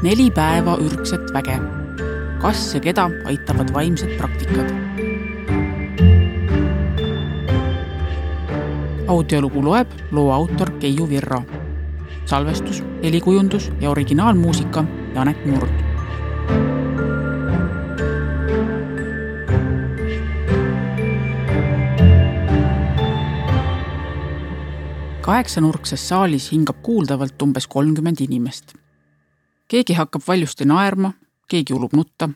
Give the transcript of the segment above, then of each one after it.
4 päeva ürgset väge. Kas ja keda aitavad vaimsed praktikad? Audiolugu loeb loo autor Keiu Virro. Salvestus, helikujundus ja originaalmuusika Janek Murd. Kaheksanurkses saalis hingab kuuldavalt umbes 30 inimest. Keegi hakkab valjusti naerma, keegi ulub nutta.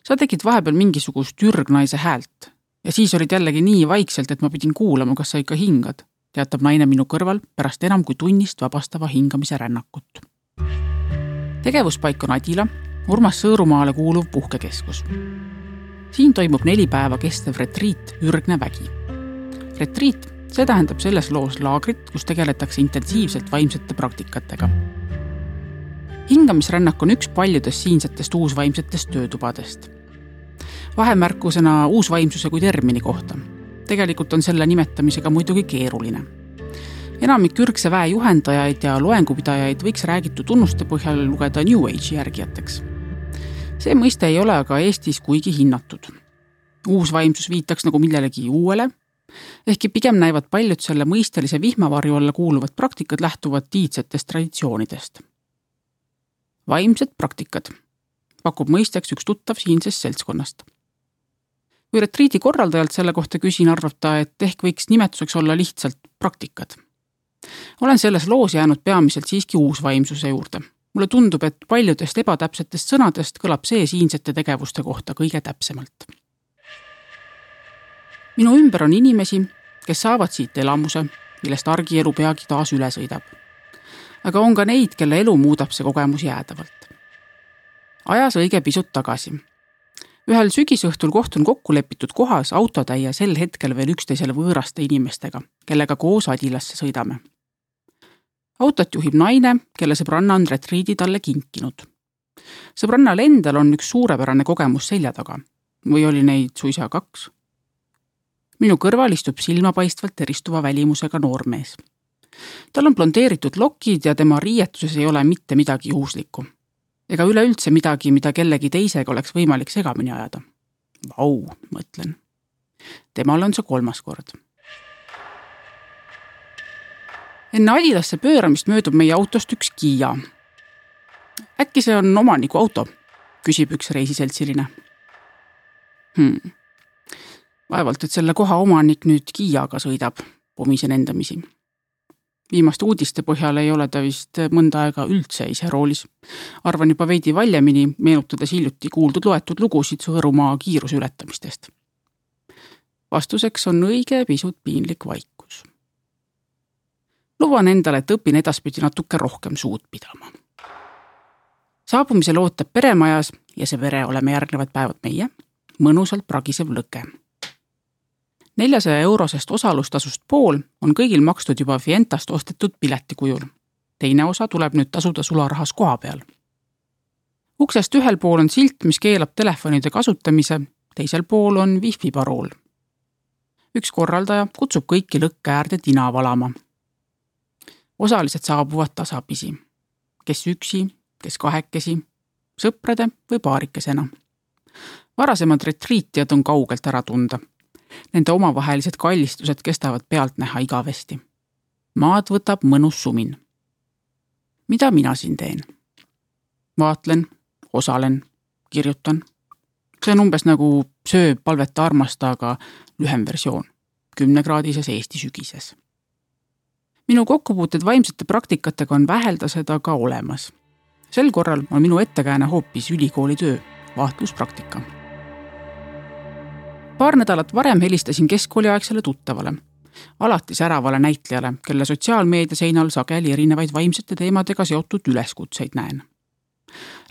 Sa tegid vahepeal mingisugust ürgnaise häält ja siis olid jällegi nii vaikselt, et ma pidin kuulama, kas sa ikka hingad, teatab naine minu kõrval pärast enam kui tunnist vabastava hingamise rännakut. Tegevuspaik on Adila, Urmas Sõõrumaale kuuluv puhkekeskus. Siin toimub 4 päeva kestev retriit Ürgne vägi. Retriit, see tähendab selles loos laagrit, kus tegeletakse intensiivselt vaimsete praktikatega. Hingamisrännak on üks paljudest siinsetest uusvaimsetest töötubadest. Vahemärkusena uusvaimsuse kui termini kohta. Tegelikult on selle nimetamisega muidugi keeruline. Enamik ürgse väe juhendajaid ja loengupidajaid võiks räägitu tunnuste põhjal lugeda New Age järgijateks. See mõiste ei ole aga Eestis kuigi hinnatud. Uusvaimsus viitaks nagu millelegi uuele, ehkki pigem näivad paljud selle mõistelise vihmavarju alla kuuluvad praktikad lähtuvad tiidsetest traditsioonidest. Vaimsed praktikad pakub mõisteks üks tuttav siinsest seltskonnast. Kui retriidi korraldajalt selle kohta küsin, arvab ta, et ehk võiks nimetuseks olla lihtsalt praktikad. Olen selles loos jäänud peamiselt siiski uusvaimsuse juurde. Mulle tundub, et paljudest ebatäpsetest sõnadest kõlab see siinsete tegevuste kohta kõige täpsemalt. Minu ümber on inimesi, kes saavad siit elamuse, millest argielu peagi taas üle sõidab. Aga on ka neid, kelle elu muudab see kogemus jäädavalt. Ajas õige pisut tagasi. Ühel sügisõhtul kohtun kokku lepitud kohas autotäie sel hetkel veel üksteisele võõraste inimestega, kellega koos Adilasse sõidame. Autot juhib naine, kelle sõbranna on retriidi talle kinkinud. Sõbrannal endal on üks suurepärane kogemus selja taga. Või oli neid suisa 2? Minu kõrval istub silmapaistvalt eristuva välimusega noormees. Tal on blondeeritud lokid ja tema riietuses ei ole mitte midagi juhuslikku. Ega üleüldse midagi, mida kellegi teisega oleks võimalik segamini ajada. Vau, mõtlen. Temal on see 3. kord. Enne Adilasse pööramist möödub meie autost üks Kia. Äkki see on omaniku auto, küsib üks reisiseltsiline. Vaevalt, et selle koha omanik nüüd Kiaga sõidab, pomisen endamisi. Viimaste uudiste põhjal ei ole ta vist mõnda aega üldse ise roolis. Arvan juba veidi valjemini, meenutades hiljuti kuuldud loetud lugusid Sõõrumaa kiiruse ületamistest. Vastuseks on õige pisut piinlik vaikus. Luban endale, et õpin edaspidi natuke rohkem suud pidama. Saabumisel ootab peremajas ja see vere oleme järgnevad päevad meie, mõnusalt pragisev lõke. 400 eurosest osalustasust pool on kõigil makstud juba Fientast ostetud pileti kujul. Teine osa tuleb nüüd tasuda sularahas koha peal. Uksest ühel pool on silt, mis keelab telefonide kasutamise, teisel pool on wifi parool. Üks korraldaja kutsub kõiki lõkke äärde tina valama. Osalised saabuvad tasapisi. Kes üksi, kes 2, sõprade või paarikesena. Varasemad retriitijad on kaugelt ära tunda. Nende omavahelised kallistused kestavad pealt näha igavesti. Maad võtab mõnus sumin. Mida mina siin teen? Vaatlen, osalen, kirjutan. See on umbes nagu söö, palveta, armasta, aga lühem versioon. 10-kraadises Eesti sügises. Minu kokkupuuted vaimsete praktikatega on väheldased aga olemas. Sel korral on minu ettekääne hoopis ülikooli töö, vaatluspraktika. Paar nädalat varem helistasin keskkooliaegsele tuttavale, alati säravale näitlejale, kelle sotsiaalmeedia seinal sageli erinevaid vaimsete teemadega seotud üleskutseid näen.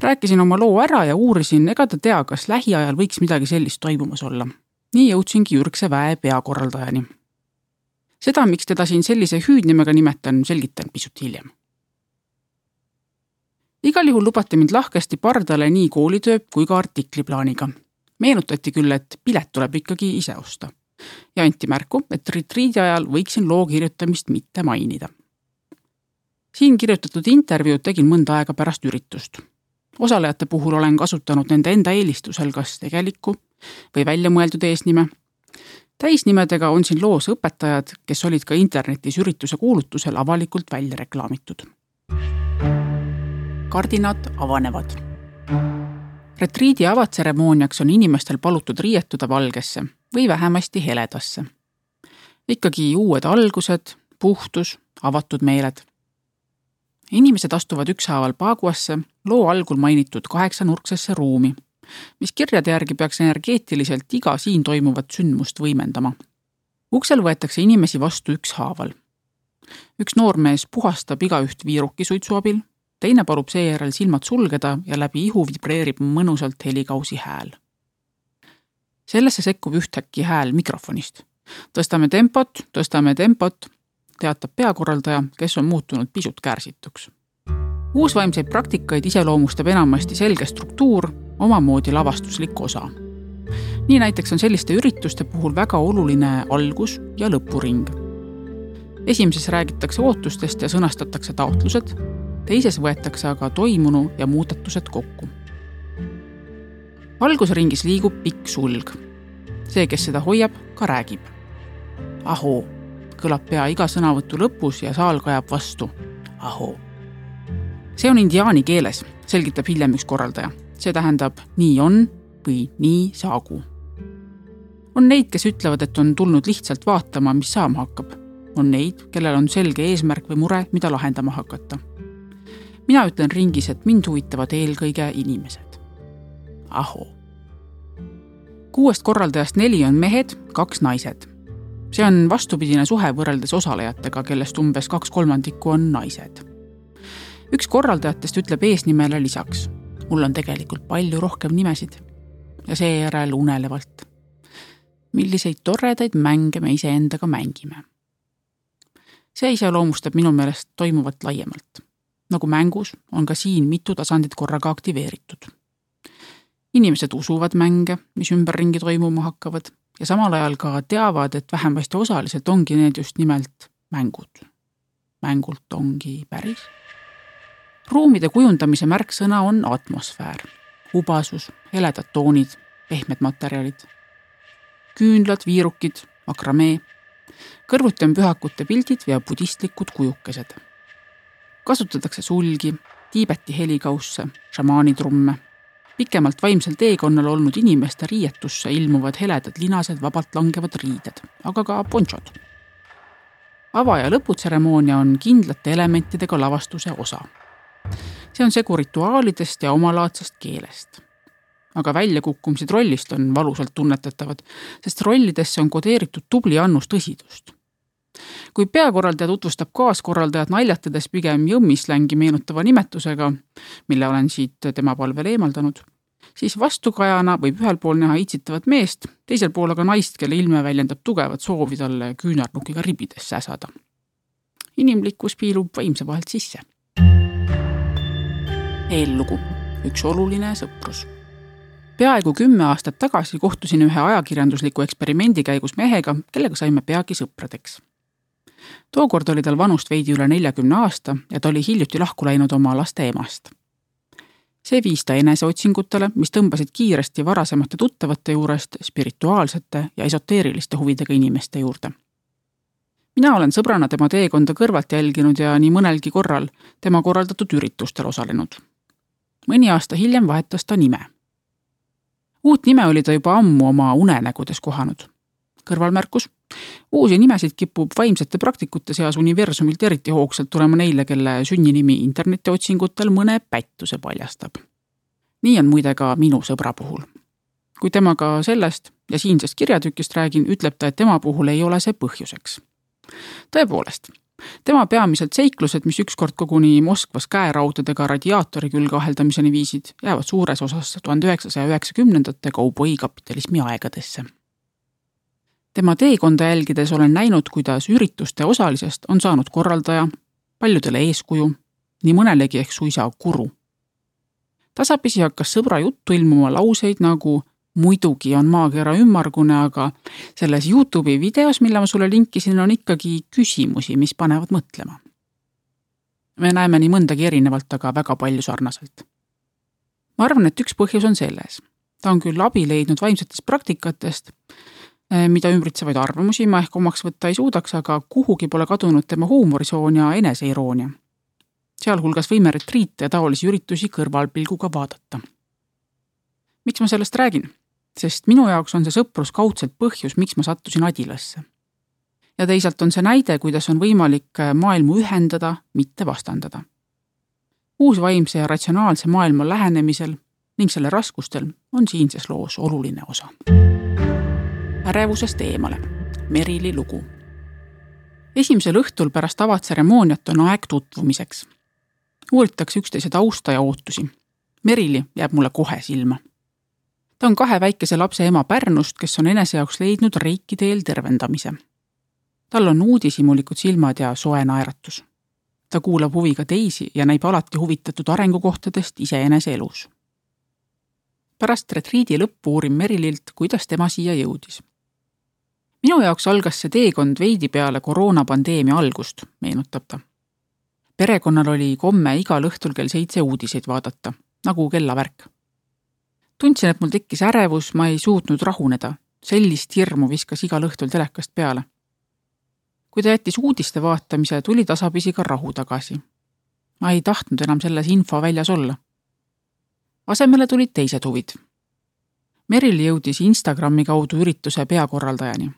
Rääkisin oma loo ära ja uurisin, ega ta tea, kas lähiajal võiks midagi sellist toimumas olla. Nii jõudsingi ürgse väe peakorraldajani. Seda, miks teda siin sellise hüüdnimega nimetan, selgitan pisut hiljem. Igal juhul lubati mind lahkesti pardale nii koolitöö kui ka artikliplaaniga. Meenutati küll, et pilet tuleb ikkagi ise osta. Ja anti märku, et retriidi ajal võiksin loo kirjutamist mitte mainida. Siin kirjutatud intervjuud tegin mõnda aega pärast üritust. Osalejate puhul olen kasutanud nende enda eelistusel kas tegelikku või väljamõeldud eesnime. Täisnimedega on siin loos õpetajad, kes olid ka internetis ürituse kuulutusel avalikult välja reklaamitud. Kardinad avanevad. Retriidi avatseremooniaks on inimestel palutud riietuda valgesse või vähemasti heledasse. Ikkagi uued algused, puhtus, avatud meeled. Inimesed astuvad ükshaaval Paguasse loo algul mainitud 8-nurksesse ruumi, mis kirjade järgi peaks energeetiliselt iga siin toimuvat sündmust võimendama. Uksel võetakse inimesi vastu ükshaaval. Üks noormees puhastab igaüht viirukisuitsu abil, teine palub seejärel silmad sulgeda ja läbi ihu vibreerib mõnusalt helikausi hääl. Sellesse sekkub ühtäkki hääl mikrofonist. Tõstame tempot, teatab peakorraldaja, kes on muutunud pisut kärsituks. Uusvaimseid praktikaid iseloomustab enamasti selge struktuur, omamoodi lavastuslik osa. Nii näiteks on selliste ürituste puhul väga oluline algus- ja lõpuring. Esimeses räägitakse ootustest ja sõnastatakse taotlused, teises võetakse aga toimunu ja muudatused kokku. Algusringis liigub pikk sulg. See, kes seda hoiab, ka räägib. Ahoo, kõlab pea iga sõnavõtu lõpus ja saal kajab vastu. Ahoo. See on indiaani keeles, selgitab hiljem üks korraldaja. See tähendab nii on või nii saagu. On neid, kes ütlevad, et on tulnud lihtsalt vaatama, mis saama hakkab. On neid, kellel on selge eesmärk või mure, mida lahendama hakata. Mina ütlen ringis, et mind huvitavad eelkõige inimesed. Ahoo. 6 korraldajast 4 on mehed, 2 naised. See on vastupidine suhe võrreldes osalejatega, kellest umbes 2/3 on naised. Üks korraldajatest ütleb eesnimele lisaks. Mul on tegelikult palju rohkem nimesid. Ja seejärel unelevalt. Milliseid toredaid mänge me iseendaga mängime. See iseloomustab minu meelest toimuvat laiemalt. Nagu mängus on ka siin mitu tasandit korraga aktiveeritud. Inimesed usuvad mänge, mis ümberringi toimuma hakkavad ja samal ajal ka teavad, et vähemasti osaliselt ongi need just nimelt mängud. Mängult ongi päris. Ruumide kujundamise märksõna on atmosfäär, hubasus, heledad toonid, pehmed materjalid, küünlad, viirukid, akramee, kõrvuti on pühakute pildid ja budistlikud kujukesed. Kasutatakse sulgi, Tiibeti helikausse, šamaanitrumme, pikemalt vaimsel teekonnal olnud inimeste riietusse ilmuvad heledad linased vabalt langevad riided, aga ka ponchod. Ava- ja lõputseremoonia on kindlate elementidega lavastuse osa. See on segu rituaalidest ja omalaadsest keelest. Aga väljakukkumised rollist on valusalt tunnetatavad, sest rollidesse on kodeeritud tubli annus tõsidust. Kui peakorraldaja tutvustab kaaskorraldajat naljatades pigem jõmmislängi meenutava nimetusega, mille olen siit tema palvel eemaldanud, siis vastukajana võib ühel pool näha itsitavat meest, teisel pool aga naist, kelle ilme väljendab tugevat soovi talle küünarnukiga ribides säsada. Inimlikkus piilub vaimse vahelt sisse. Eellugu. Üks oluline sõprus. Peaaegu 10 aastat tagasi kohtusin ühe ajakirjandusliku eksperimendi käigus mehega, kellega saime peagi sõpradeks. Tookord oli tal vanust veidi üle 40 aasta ja ta oli hiljuti lahku läinud oma laste emast. See viis ta eneseotsingutele, mis tõmbasid kiiresti varasemate tuttavate juurest spirituaalsete ja esoteeriliste huvidega inimeste juurde. Mina olen sõbrana tema teekonda kõrvalt jälginud ja nii mõnelgi korral tema korraldatud üritustel osalenud. Mõni aasta hiljem vahetas ta nime. Uut nime oli ta juba ammu oma unenägudes kohanud. Kõrvalmärkus. Uusi nimesid kipub vaimsete praktikute seas universumilt eriti hoogsalt tulema neile, kelle sünninimi internetiotsingutel mõne pättuse paljastab. Nii on muide ka minu sõbra puhul. Kui temaga sellest ja siinsest kirjatükist räägin, ütleb ta, et tema puhul ei ole see põhjuseks. Tõepoolest, tema peamiselt seiklused, mis ükskord koguni Moskvas käeraudadega radiaatori külge aheldamiseni viisid, jäävad suures osas 1990-ndate kauboikapitalismi aegadesse. Tema teekonda jälgides olen näinud, kuidas ürituste osalisest on saanud korraldaja, paljudele eeskuju, nii mõnelegi ehk suisa guru. Tasapisi hakkas sõbra juttu ilmuma lauseid nagu muidugi on maakera ümmargune, aga selles YouTube'i videos, mille ma sulle linkisin, on ikkagi küsimusi, mis panevad mõtlema. Me näeme nii mõndagi erinevalt, aga väga palju sarnaselt. Ma arvan, et üks põhjus on selles. Ta on küll abi leidnud vaimsetest praktikatest, mida ümbritsevaid arvamusi ma ehk omaks võtta ei suudaks, aga kuhugi pole kadunud tema huumorisoon ja eneseiroonia. Sealhulgas võime retriite ja taolisi üritusi kõrvalpilguga vaadata. Miks ma sellest räägin? Sest minu jaoks on see sõprus kaudselt põhjus, miks ma sattusin Adilasse. Ja teisalt on see näide, kuidas on võimalik maailmu ühendada, mitte vastandada. Uus vaimse ja ratsionaalse maailma lähenemisel ning selle raskustel on siinses loos oluline osa. Ärevusest eemale. Merili lugu. Esimesel õhtul pärast avatseremooniat on aeg tutvumiseks. Uuritakse üksteise tausta ja ootusi. Merili jääb mulle kohe silma. Ta on 2 väikese lapse ema Pärnust, kes on enese jaoks leidnud Reiki teel tervendamise. Tal on uudishimulikud silmad ja soe naeratus. Ta kuulab huviga teisi ja näib alati huvitatud arengukohtadest iseenese elus. Pärast retriidi lõppu uurin Merililt, kuidas tema siia jõudis. Minu jaoks algas see teekond veidi peale koroonapandeemia algust, meenutab ta. Perekonnal oli komme igal õhtul kell 7 uudiseid vaadata, nagu kellavärk. Tundsin, et mul tekkis ärevus, ma ei suutnud rahuneda. Sellist hirmu viskas igal õhtul telekast peale. Kui ta jättis uudiste vaatamise, tuli tasapisi ka rahu tagasi. Ma ei tahtnud enam selles info väljas olla. Asemele tulid teised huvid. Merili jõudis Instagrami kaudu ürituse peakorraldajani.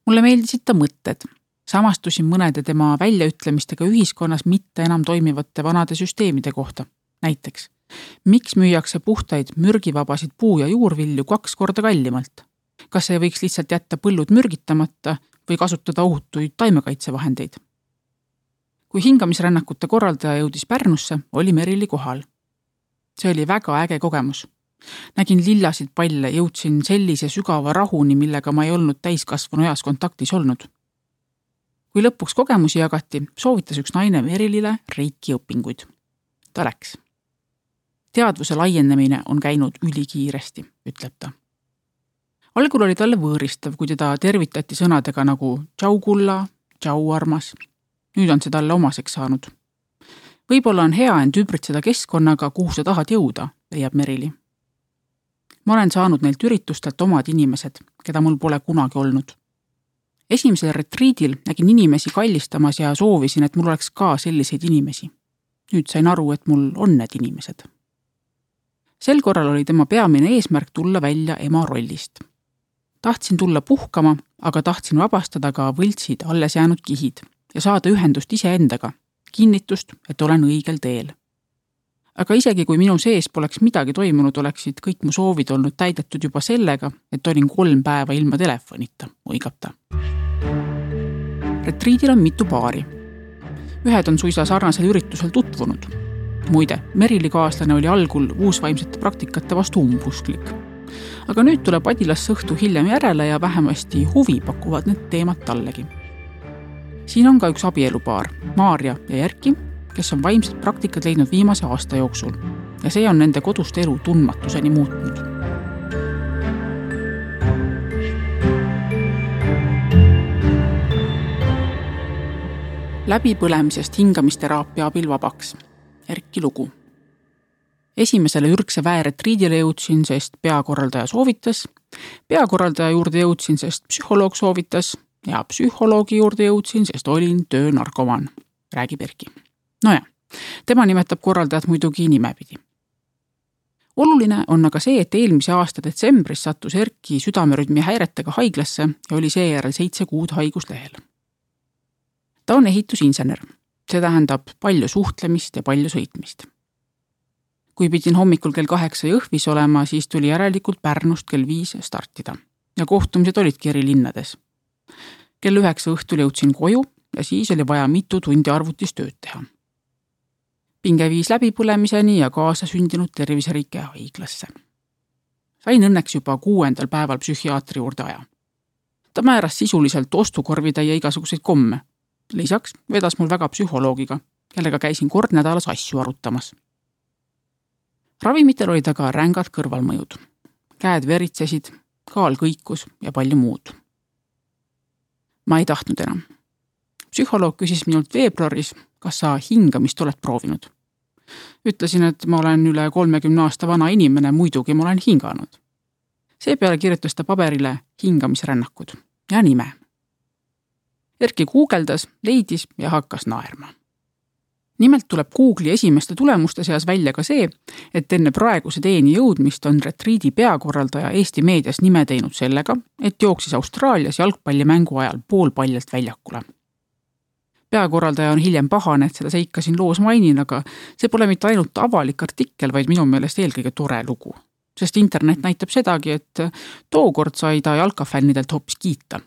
Mulle meeldisid ta mõtted. Samastusin mõnede tema väljaütlemistega ühiskonnas mitte enam toimivate vanade süsteemide kohta. Näiteks, miks müüakse puhtaid mürgivabasid puu- ja juurvilju 2 korda kallimalt? Kas ei võiks lihtsalt jätta põllud mürgitamata või kasutada ohutuid taimekaitsevahendeid? Kui hingamisrännakute korraldaja jõudis Pärnusse, oli Merili kohal. See oli väga äge kogemus. Nägin lillasid palle, jõudsin sellise sügava rahuni, millega ma ei olnud täiskasvanu eas kontaktis olnud. Kui lõpuks kogemusi jagati, soovitas üks naine Merilile Reiki õpinguid. Ta läks. Teadvuse laienemine on käinud ülikiiresti, ütleb ta. Algul oli talle võõristav, kui teda tervitati sõnadega nagu tšau kulla, tšau armas. Nüüd on see talle omaseks saanud. Võib-olla on hea end ümbritseda keskkonnaga, kuhu sa tahad jõuda, leiab Merili. Ma olen saanud neilt üritustelt omad inimesed, keda mul pole kunagi olnud. Esimesel retriidil nägin inimesi kallistamas ja soovisin, et mul oleks ka selliseid inimesi. Nüüd sain aru, et mul on need inimesed. Sel korral oli tema peamine eesmärk tulla välja ema rollist. Tahtsin tulla puhkama, aga tahtsin vabastada ka võltsid alles jäänud kihid ja saada ühendust iseendaga, kinnitust, et olen õigel teel. Aga isegi kui minu sees poleks midagi toimunud, oleksid kõik mu soovid olnud täidetud juba sellega, et olin 3 päeva ilma telefonita, oigab ta. Retriidil on mitu paari. Ühed on suisa sarnasel üritusel tutvunud. Muide, Merili kaaslane oli algul uusvaimsete praktikate vastu umbusklik. Aga nüüd tuleb Adilasse õhtu hiljem järele ja vähemasti huvi pakuvad need teemad tallegi. Siin on ka üks abielupaar, Maarja ja Erki, kes on vaimsed praktikad leidnud viimase aasta jooksul ja see on nende kodust elu tundmatuseni muutnud. Läbipõlemisest hingamisteraapia abil vabaks. Erki lugu. Esimesele ürgse väeretriidile jõudsin, sest peakorraldaja soovitas, peakorraldaja juurde jõudsin, sest psühholoog soovitas ja psühholoogi juurde jõudsin, sest olin töönarkoman, räägib Erki. Noja, tema nimetab korraldajat muidugi nimepidi. Oluline on aga see, et eelmise aasta detsembris sattus Erki südamerütmi häiretega haiglasse ja oli seejärel 7 kuud haiguslehel. Ta on ehitusinsener. See tähendab palju suhtlemist ja palju sõitmist. Kui pidin hommikul kell 8 Jõhvis olema, siis tuli järelikult Pärnust kell 5 startida ja kohtumised olidki eri linnades. Kell 9 õhtul jõudsin koju ja siis oli vaja mitu tundi arvutis tööd teha. Pinge viis läbipõlemiseni ja kaasa sündinud terviseriike haiglasse. Sain õnneks juba 6. päeval psühhiaatri juurde aja. Ta määras sisuliselt ostukorvitäie igasuguseid komme. Lisaks vedas mul väga psühholoogiga, kellega käisin kord nädalas asju arutamas. Ravimitel olid aga rängad kõrvalmõjud. Käed veritsesid, kaal kõikus ja palju muud. Ma ei tahtnud enam. psühholoog küsis minult veebruaris, kas sa hingamist oled proovinud. Ütlesin, et ma olen üle 30 aasta vana inimene, muidugi ma olen hinganud. Seepeale kirjutas ta paberile hingamisrännakud ja nime. Erki guugeldas, leidis ja hakkas naerma. Nimelt tuleb Google'i esimeste tulemuste seas välja ka see, et enne praeguse teeni jõudmist on retriidi peakorraldaja Eesti meedias nime teinud sellega, et jooksis Austraalias jalgpallimängu ajal poolpaljalt väljakule. Peakorraldaja on hiljem pahane, et seda seika siin loos mainin, aga see pole mitte ainult avalik artikkel, vaid minu meelest eelkõige tore lugu. Sest internet näitab sedagi, et tookord sai ta jalkafännidelt hoopis kiita.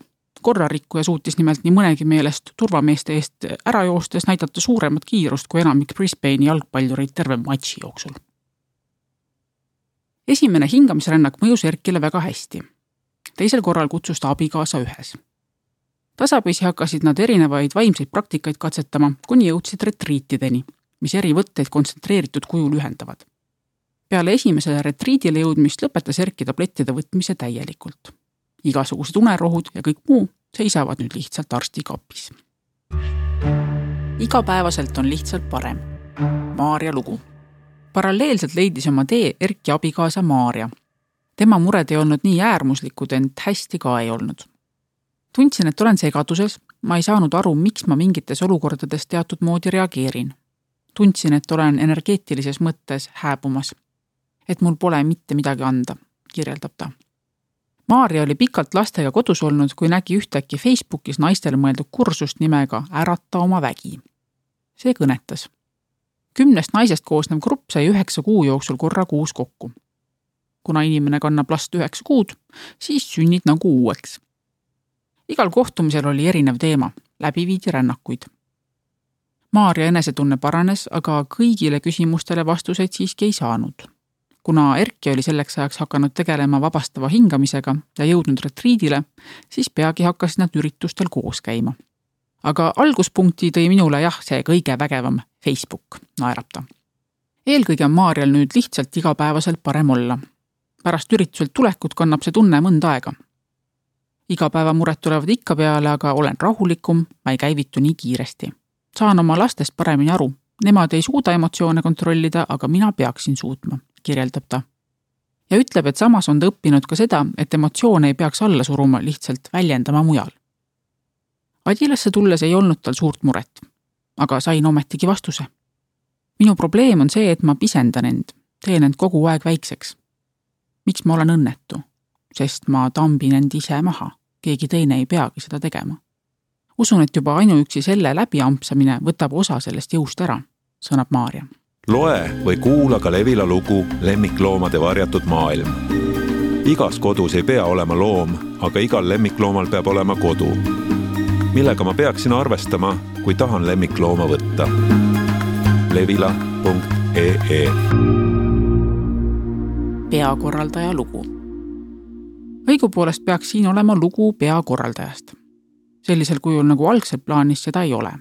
Korrarikkuja suutis nimelt nii mõnegi meelest turvameeste eest ära joostes näidata suuremat kiirust kui enamik Brisbane'i jalgpallureid terve matši jooksul. Esimene hingamisrännak mõjus Erkile väga hästi. Teisel korral kutsus ta abikaasa ühes. Tasapisi hakkasid nad erinevaid vaimseid praktikaid katsetama, kuni jõudsid retriitideni, mis eri võtteid kontsentreeritud kujul ühendavad. Peale esimesele retriidile jõudmist lõpetas Erki tablettide võtmise täielikult. Igasugused unerohud ja kõik muu seisavad nüüd lihtsalt arsti kapis. Igapäevaselt on lihtsalt parem. Maarja lugu. Paralleelselt leidis oma tee Erki abikaasa Maarja. Tema mured ei olnud nii äärmuslikud, ent hästi ka ei olnud. Tundsin, et olen segaduses, ma ei saanud aru, miks ma mingites olukordades teatud moodi reageerin. Tundsin, et olen energeetilises mõttes hääbumas. Et mul pole mitte midagi anda, kirjeldab ta. Maarja oli pikalt lastega kodus olnud, kui nägi ühtäkki Facebookis naistele mõeldud kursust nimega Ärata oma vägi. See kõnetas. 10 naisest koosnev grupp sai 9 kuu jooksul korra kuus kokku. Kuna inimene kannab last 9 kuud, siis sünnid nagu uueks. Igal kohtumisel oli erinev teema, läbi viidi rännakuid. Maarja enesetunne paranes, aga kõigile küsimustele vastuseid siiski ei saanud. Kuna Erki oli selleks ajaks hakanud tegelema vabastava hingamisega ja jõudnud retriidile, siis peagi hakkasid nad üritustel koos käima. Aga alguspunkti tõi minule see kõige vägevam Facebook, naerab ta. Eelkõige on Maarjal nüüd lihtsalt igapäevaselt parem olla. Pärast ürituselt tulekut kannab see tunne mõnda aega. Igapäevamured tulevad ikka peale, aga olen rahulikum, ma ei käivitu nii kiiresti. Saan oma lastest paremini aru. Nemad ei suuda emotsioone kontrollida, aga mina peaksin suutma, kirjeldab ta. Ja ütleb, et samas on ta õppinud ka seda, et emotsioone ei peaks alla suruma, lihtsalt väljendama mujal. Adilasse tulles ei olnud tal suurt muret, aga sain ometigi vastuse. Minu probleem on see, et ma pisendan end, teen end kogu aeg väikseks. Miks ma olen õnnetu? Sest ma tambin end ise maha, keegi teine ei peagi seda tegema. Usun, et juba ainuüksi selle läbiampsamine võtab osa sellest jõust ära, sõnab Maarja. Loe või kuula ka Levila lugu Lemmikloomade varjatud maailm. Igas kodus ei pea olema loom, aga igal lemmikloomal peab olema kodu. Millega ma peaksin arvestama, kui tahan lemmiklooma võtta? Levila.ee Peakorraldaja lugu. Õigupoolest peaks siin olema lugu peakorraldajast. Sellisel kujul nagu algselt plaanis seda ei ole.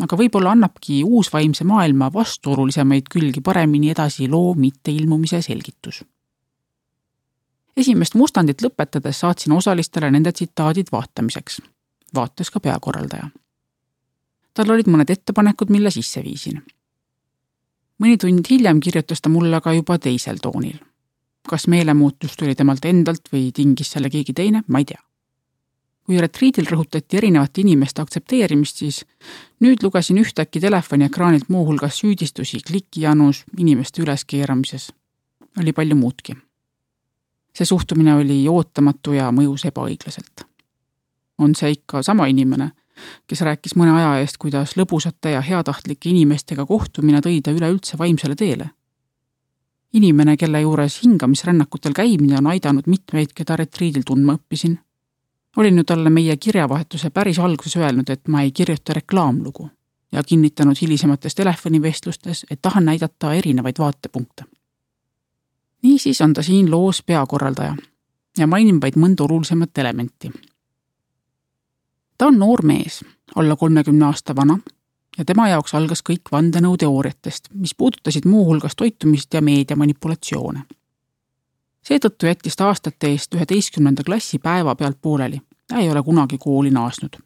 Aga võib-olla annabki uus vaimse maailma vastuolulisemaid külgi paremini edasi loo mitteilmumise selgitus. Esimest mustandit lõpetades saatsin osalistele nende tsitaadid vaatamiseks. Vaatas ka peakorraldaja. Tal olid mõned ettepanekud, mille sisse viisin. Mõni tund hiljem kirjutas ta mulle aga juba teisel toonil. Kas meelemuutus tuli temalt endalt või tingis selle keegi teine, ma ei tea. Kui retriidil rõhutati erinevate inimeste aktsepteerimist, siis nüüd lugesin ühtäkki telefoni ekraanilt muu hulgas süüdistusi klikijanus, inimeste üleskeeramises. Oli palju muudki. See suhtumine oli ootamatu ja mõjus ebaõiglaselt. On see ikka sama inimene, kes rääkis mõne aja eest, kuidas lõbusate ja heatahtlike inimestega kohtumine tõi ta üleüldse vaimsele teele. Inimene, kelle juures hingamisrännakutel käimine on aidanud mitmeid, keda retriidil tundma õppisin. Olin ju talle meie kirjavahetuse päris alguses öelnud, et ma ei kirjuta reklaamlugu ja kinnitanud hilisemates telefonivestlustes, et tahan näidata erinevaid vaatepunkte. Niisiis on ta siin loos peakorraldaja ja mainin vaid mõnda olulisemat elementi. Ta on noor mees, alla 30 aasta vana ja tema jaoks algas kõik vandenõuteooriatest, mis puudutasid muu hulgas toitumist ja meediamanipulatsioone. Seetõttu jättis ta aastate eest 11. klassi päeva pealt pooleli ja ei ole kunagi kooli naasnud.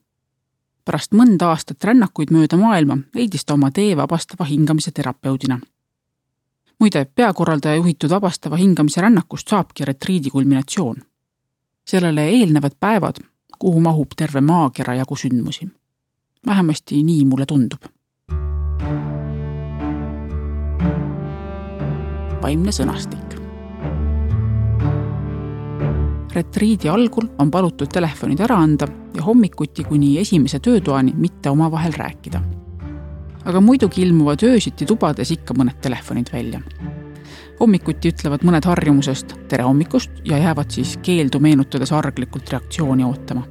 Pärast mõnda aastat rännakuid mööda maailma leidis ta oma tee vabastava hingamise terapeudina. Muide, peakorraldaja juhitud vabastava hingamise rännakust saabki retriidi kulminatsioon. Sellele eelnevad päevad, kuhu mahub terve maakera jagu sündmusi. Vähemasti nii mulle tundub. Vaimne sõnastik. Retriidi algul on palutud telefonid ära anda ja hommikuti kuni esimese töötoani mitte omavahel rääkida. Aga muidugi ilmuvad öösiti tubades ikka mõned telefonid välja. Hommikuti ütlevad mõned harjumusest tere hommikust ja jäävad siis keeldu meenutades arglikult reaktsiooni ootama.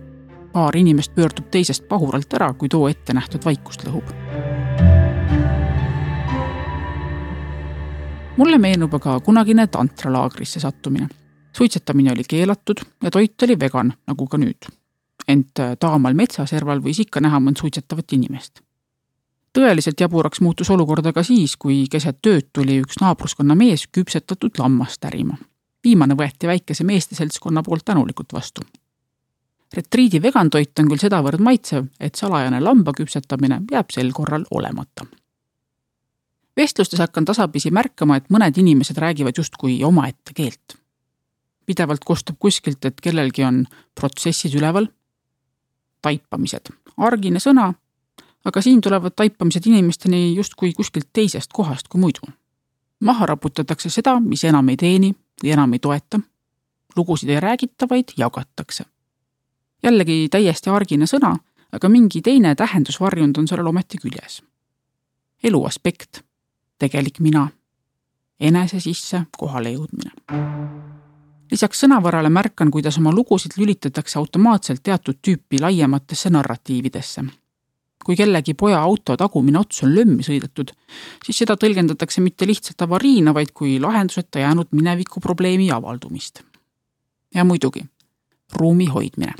Paar inimest pöördub teisest pahuralt ära, kui too ette nähtud vaikust lõhub. Mulle meenub aga kunagine tantralaagrisse sattumine. Suitsetamine oli keelatud ja toit oli vegan, nagu ka nüüd. Ent taamal metsaserval võis ikka näha mõnd suitsetavat inimest. Tõeliselt jaburaks muutus olukorda ka siis, kui keset tööd tuli üks naabruskonna mees küpsetatud lammast ärima. Viimane võeti väikese meeste seltskonna poolt tänulikult vastu. Retriidi vegantoit on küll sedavõrd maitsev, et salajane lamba küpsetamine jääb sel korral olemata. Vestlustes hakkan tasapisi märkama, et mõned inimesed räägivad justkui omaette keelt. Pidevalt kostab kuskilt, et kellelgi on protsessid üleval. Taipamised. Argine sõna, aga siin tulevad taipamised inimesteni justkui kuskilt teisest kohast kui muidu. Maha raputatakse seda, mis enam ei teeni või enam ei toeta. Lugusid ei räägita, vaid jagatakse. Jällegi täiesti argine sõna, aga mingi teine tähendusvarjund on sellel ometi küljes. Elu aspekt, tegelik mina, enese sisse kohale jõudmine. Lisaks sõnavarale märkan, kuidas oma lugusid lülitatakse automaatselt teatud tüüpi laiematesse narratiividesse. Kui kellegi poja auto tagumine ots on lömmi sõidetud, siis seda tõlgendatakse mitte lihtsalt avariina, vaid kui lahenduseta jäänud mineviku probleemi avaldumist. Ja muidugi, ruumi hoidmine.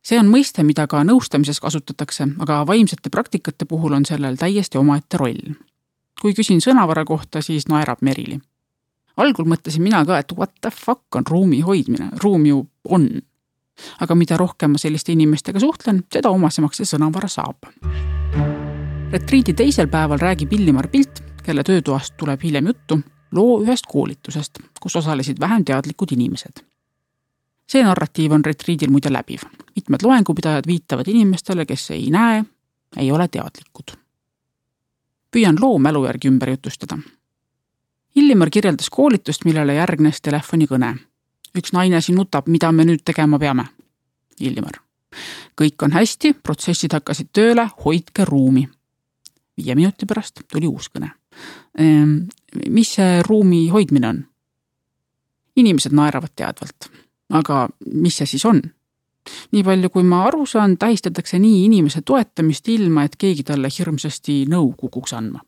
See on mõiste, mida ka nõustamises kasutatakse, aga vaimsete praktikate puhul on sellel täiesti omaette roll. Kui küsin sõnavara kohta, siis naerab Merili. Algul mõtlesin mina ka, et what the fuck on ruumi hoidmine, ruum ju on. Aga mida rohkem ma selliste inimestega suhtlen, seda omasemaks see sõnavara saab. Retriidi teisel päeval räägib Illimar Pilt, kelle töötoast tuleb hiljem juttu, loo ühest koolitusest, kus osalesid vähem teadlikud inimesed. See narratiiv on retriidil muide läbiv. Mitmed loengupidajad viitavad inimestele, kes ei näe, ei ole teadlikud. Püüan loo mälu järgi ümber jutustada. Illimar kirjeldas koolitust, millele järgnes telefonikõne. Üks naine siin nutab, mida me nüüd tegema peame. Illimar. Kõik on hästi, protsessid hakkasid tööle, hoidke ruumi. 5 minuti pärast tuli uus kõne. Mis see ruumi hoidmine on? Inimesed naeravad teadvalt. Aga mis see siis on? Nii palju, kui ma aru saan, tähistatakse nii inimese toetamist ilma, et keegi talle hirmsasti nõu kukuks andma.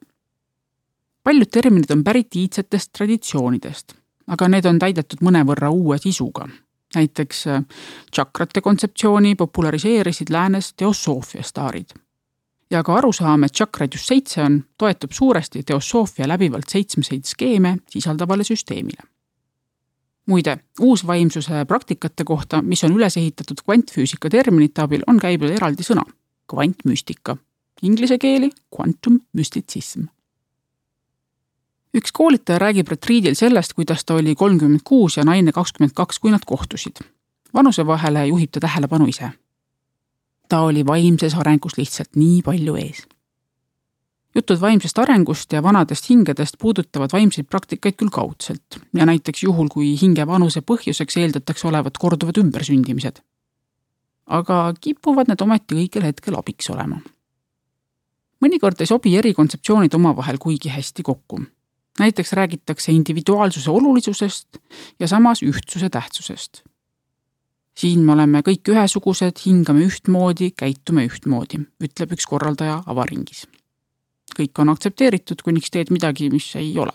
Paljud terminid on pärit iidsetest traditsioonidest, aga need on täidetud mõnevõrra uue sisuga. Näiteks tšakrate kontseptsiooni populariseerisid läänes teosoofia staarid. Ja ka arusaam, et tšakraid just 7 on, toetub suuresti teosoofia läbivalt 7 skeeme sisaldavale süsteemile. Muide, uusvaimsuse praktikate kohta, mis on üles ehitatud kvantfüüsika terminite abil, on käibel eraldi sõna, kvantmüstika, inglise keeli quantum mysticism. Üks koolitaja räägib retriidil sellest, kuidas ta oli 36 ja naine 22, kui nad kohtusid. Vanuse vahele juhib ta tähelepanu ise. Ta oli vaimses arengus lihtsalt nii palju ees. Jutud vaimsest arengust ja vanadest hingedest puudutavad vaimseid praktikaid küll kaudselt ja näiteks juhul, kui hinge vanuse põhjuseks eeldatakse olevat korduvad ümbersündimised. Aga kipuvad need ometi õigel hetkel abiks olema. Mõnikord ei sobi eri kontseptsioonid omavahel kuigi hästi kokku. Näiteks räägitakse individuaalsuse olulisusest ja samas ühtsuse tähtsusest. Siin me oleme kõik ühesugused, hingame ühtmoodi, käitume ühtmoodi, ütleb üks korraldaja avaringis. Kõik on aktsepteeritud, kuniks teed midagi, mis ei ole.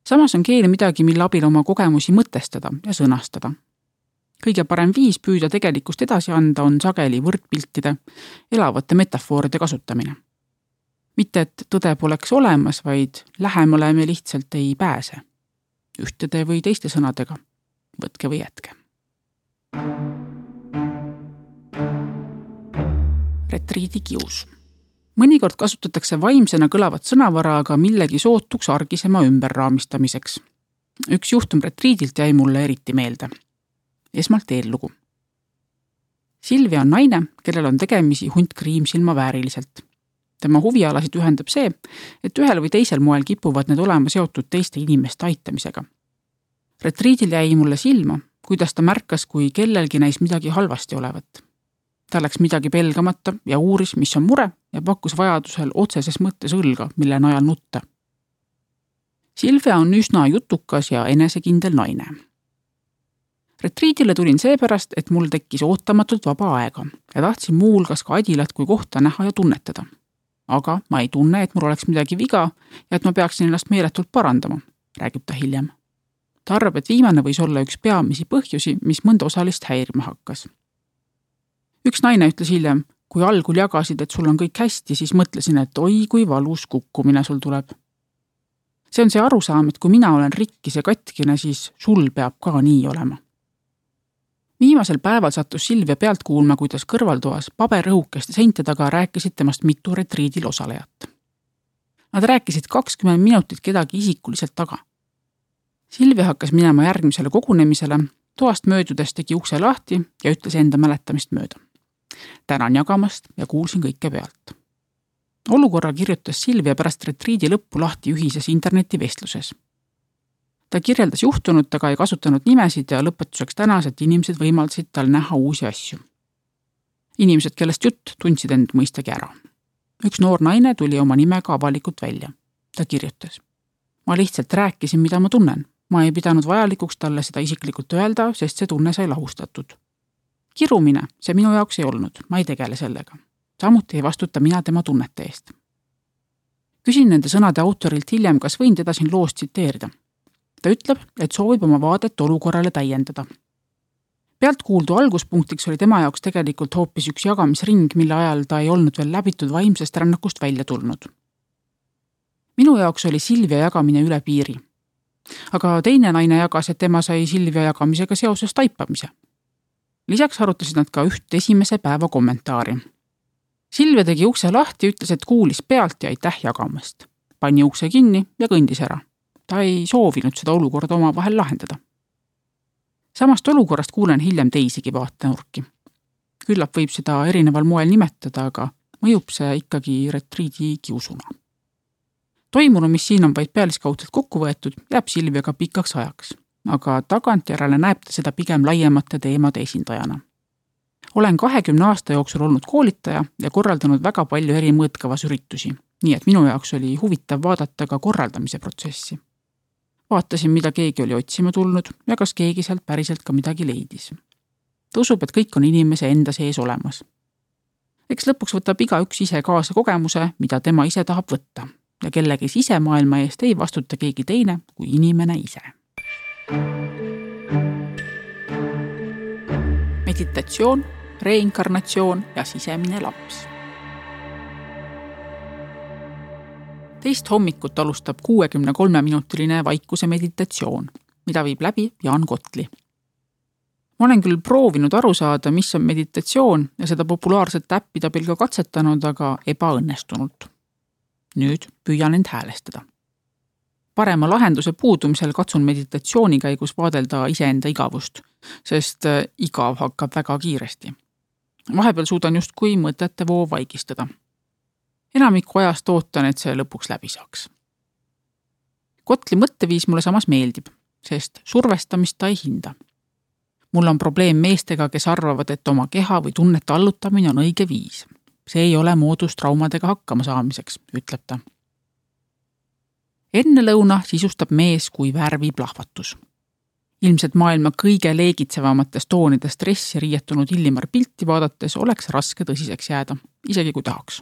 Samas on keel midagi, mille abil oma kogemusi mõtestada ja sõnastada. Kõige parem viis püüda tegelikkust edasi anda on sageli võrdpiltide, elavate metafooride kasutamine. Mitte, et tõde poleks olemas, vaid lähemale me lihtsalt ei pääse. Ühtede või teiste sõnadega, võtke või jätke. Retriidikius. Mõnikord kasutatakse vaimsena kõlavat sõnavara aga millegi sootuks argisema ümberraamistamiseks. Üks juhtum retriidilt jäi mulle eriti meelde. Esmalt eellugu. Silvia on naine, kellel on tegemisi hunt kriimsilma vääriliselt. Tema huvialasid ühendab see, et ühel või teisel moel kipuvad need olema seotud teiste inimeste aitamisega. Retriidil jäi mulle silma, kuidas ta märkas, kui kellelgi näis midagi halvasti olevat. Ta läks midagi pelgamata ja uuris, mis on mure ja pakkus vajadusel otseses mõttes õlga, mille najal nutta. Silvia on üsna jutukas ja enesekindel naine. Retriidile tulin seepärast, et mul tekkis ootamatult vaba aega ja tahtsin muu hulgas ka Adilat kui kohta näha ja tunnetada. Aga ma ei tunne, et mul oleks midagi viga ja et ma peaksin ennast meeletult parandama, räägib ta hiljem. Ta arvab, et viimane võis olla üks peamisi põhjusi, mis mõnda osalist häirima hakkas. Üks naine ütles hiljem, kui algul jagasid, et sul on kõik hästi, siis mõtlesin, et oi, kui valus kukkumine sul tuleb. See on see arusaam, et kui mina olen rikkis ja katkine, siis sul peab ka nii olema. Viimasel päeval sattus Silvia pealt kuulma, kuidas kõrvaltoas paberõhukeste seinte taga rääkisid temast mitu retriidil osalejat. Nad rääkisid 20 minutit kedagi isikuliselt taga. Silvia hakkas minema järgmisele kogunemisele, toast möödudes tegi ukse lahti ja ütles enda mäletamist mööda. Tänan jagamast ja kuulsin kõike pealt. Olukorra kirjutas Silvia pärast retriidi lõppu lahti ühises internetivestluses. Ta kirjeldas juhtunut, aga ei kasutanud nimesid ja lõpetuseks tänas, et inimesed võimaldasid tal näha uusi asju. Inimesed, kellest jutt, tundsid end mõistagi ära. Üks noor naine tuli oma nimega avalikult välja. Ta kirjutas. Ma lihtsalt rääkisin, mida ma tunnen. Ma ei pidanud vajalikuks talle seda isiklikult öelda, sest see tunne sai lahustatud. Kirumine, see minu jaoks ei olnud, ma ei tegele sellega. Samuti ei vastuta mina tema tunnete eest. Küsin nende sõnade autorilt hiljem, kas võin teda siin loost tsiteerida. Ta ütleb, et soovib oma vaadet olukorrale täiendada. Pealtkuuldu alguspunktiks oli tema jaoks tegelikult hoopis üks jagamisring, mille ajal ta ei olnud veel läbitud vaimsest rännakust välja tulnud. Minu jaoks oli Silvia jagamine üle piiri. Aga teine naine jagas, et tema sai Silvia jagamisega seoses taipamise. Lisaks arutasid nad ka üht esimese päeva kommentaari. Silvia tegi ukse lahti ja ütles, et kuulis pealt ja aitäh jagamast. Pani ukse kinni ja kõndis ära. Ta ei soovinud seda olukorda oma vahel lahendada. Samast olukorrast kuulen hiljem teisigi vaatenurki. Küllap võib seda erineval moel nimetada, aga mõjub see ikkagi retriidikiusuna. Toimunu, mis siin on vaid pealiskaudselt kokku võetud, jääb Silviaga pikaks ajaks, aga tagantjärele näeb ta seda pigem laiemate teemade esindajana. Olen 20 aasta jooksul olnud koolitaja ja korraldanud väga palju eri mõõtkavas üritusi, nii et minu jaoks oli huvitav vaadata ka korraldamise protsessi. Vaatasin, mida keegi oli otsima tulnud ja kas keegi sealt päriselt ka midagi leidis. Ta usub, et kõik on inimese enda sees olemas. Eks lõpuks võtab igaüks ise kaasa kogemuse, mida tema ise tahab võtta ja kellegi sisemaailma eest ei vastuta keegi teine kui inimene ise. Meditatsioon, reinkarnatsioon ja sisemine laps. Teist hommikut alustab 63-minutiline vaikuse meditatsioon, mida viib läbi Jaan Kotli. Ma olen küll proovinud aru saada, mis on meditatsioon ja seda populaarset äppida pilga katsetanud, aga ebaõnnestunult. Nüüd püüan end häälestada. Parema lahenduse puudumisel katsun meditatsiooni käigus vaadelda iseenda igavust, sest igav hakkab väga kiiresti. Vahepeal suudan justkui mõtete voo vaigistada. Enamiku ajast ootan, et see lõpuks läbi saaks. Kotli mõtteviis mulle samas meeldib, sest survestamist ta ei hinda. Mul on probleem meestega, kes arvavad, et oma keha või tunnete allutamine on õige viis. See ei ole moodus traumadega hakkama saamiseks, ütleb ta. Enne lõuna sisustab mees kui värviplahvatus. Ilmselt maailma kõige leegitsevamatest toonidest stressi riietunud Illimar pilti vaadates oleks raske tõsiseks jääda, isegi kui tahaks.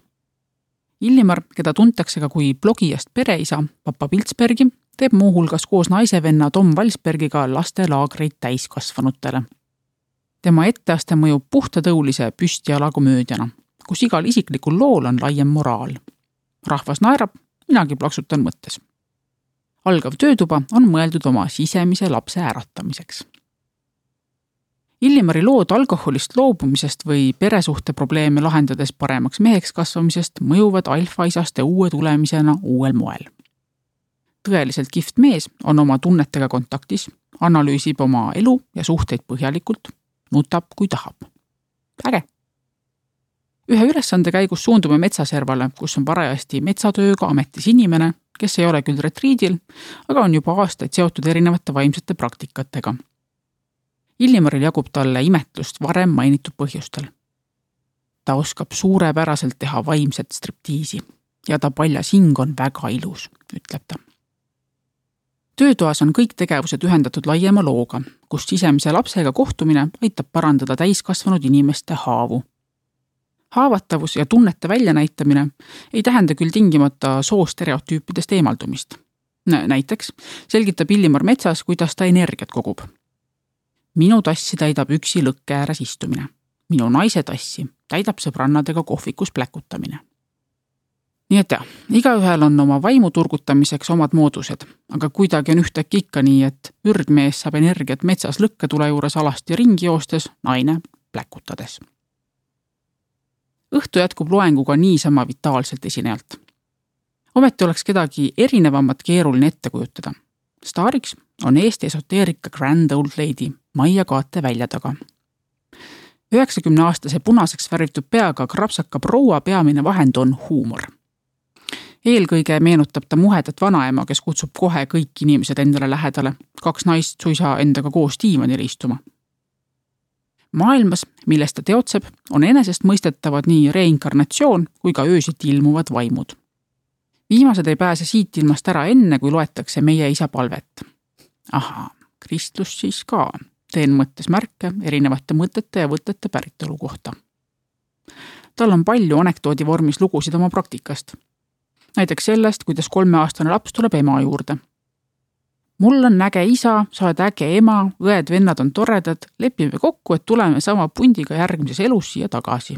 Illimar, keda tuntakse ka kui blogijast pereisa Papa Piltsbergi, teeb muu hulgas koos naisevenna Tom Valsbergiga lastelaagreid täiskasvanutele. Tema etteaste mõjub puhtatõulise püstialakomöödiana, kus igal isiklikul lool on laiem moraal. Rahvas naerab, minagi plaksutan mõttes. Algav töötuba on mõeldud oma sisemise lapse äratamiseks. Illimari lood alkoholist loobumisest või peresuhte probleeme lahendades paremaks meheks kasvamisest mõjuvad alfaisaste uue tulemisena uuel moel. Tõeliselt kihvt mees on oma tunnetega kontaktis, analüüsib oma elu ja suhteid põhjalikult, nutab kui tahab. Äge! Ühe ülesande käigus suundume metsaservale, kus on parajasti metsatööga ametis inimene, kes ei ole küll retriidil, aga on juba aastaid seotud erinevate vaimsete praktikatega. Illimaril jagub talle imetlust varem mainitud põhjustel. Ta oskab suurepäraselt teha vaimset striptiisi ja ta paljas hing on väga ilus, ütleb ta. Töötoas on kõik tegevused ühendatud laiema looga, kus sisemise lapsega kohtumine aitab parandada täiskasvanud inimeste haavu. Haavatavus ja tunnete väljanäitamine ei tähenda küll tingimata soostereotüüpidest eemaldumist. Näiteks selgitab Illimar metsas, kuidas ta energiat kogub. Minu tassi täidab üksi lõkke ääres istumine. Minu naise tassi täidab sõbrannadega kohvikus pläkutamine. Nii et jah, igaühel on oma vaimu turgutamiseks omad moodused, aga kuidagi on ühtäkki ikka nii, et ürgmees saab energiat metsas lõkketule juures alasti ringi joostes, naine pläkutades. Õhtu jätkub loenguga niisama vitaalselt esinejalt. Ometi oleks kedagi erinevamat keeruline ette kujutada. Staariks on Eesti esoteerika Grand Old Lady Maia Kaate välja taga. 90-aastase punaseks värvitud peaga krapsaka proua peamine vahend on huumor. Eelkõige meenutab ta muhedat vanaema, kes kutsub kohe kõik inimesed endale lähedale, 2 naist suisa endaga koos diivanile istuma. Maailmas, milles ta teotseb, on enesest mõistetavad nii reinkarnatsioon kui ka öösiti ilmuvad vaimud. Viimased ei pääse siit ilmast ära enne, kui loetakse meie isa palvet. Ahaa, kristlus siis ka. Teen mõttes märke erinevate mõtete ja võtete päritolu kohta. Tal on palju anekdoodi vormis lugusid oma praktikast. Näiteks sellest, kuidas 3-aastane laps tuleb ema juurde. Mul on äge isa, sa oled äge ema, õed-vennad on toredad, lepime kokku, et tuleme sama pundiga järgmises elus siia tagasi.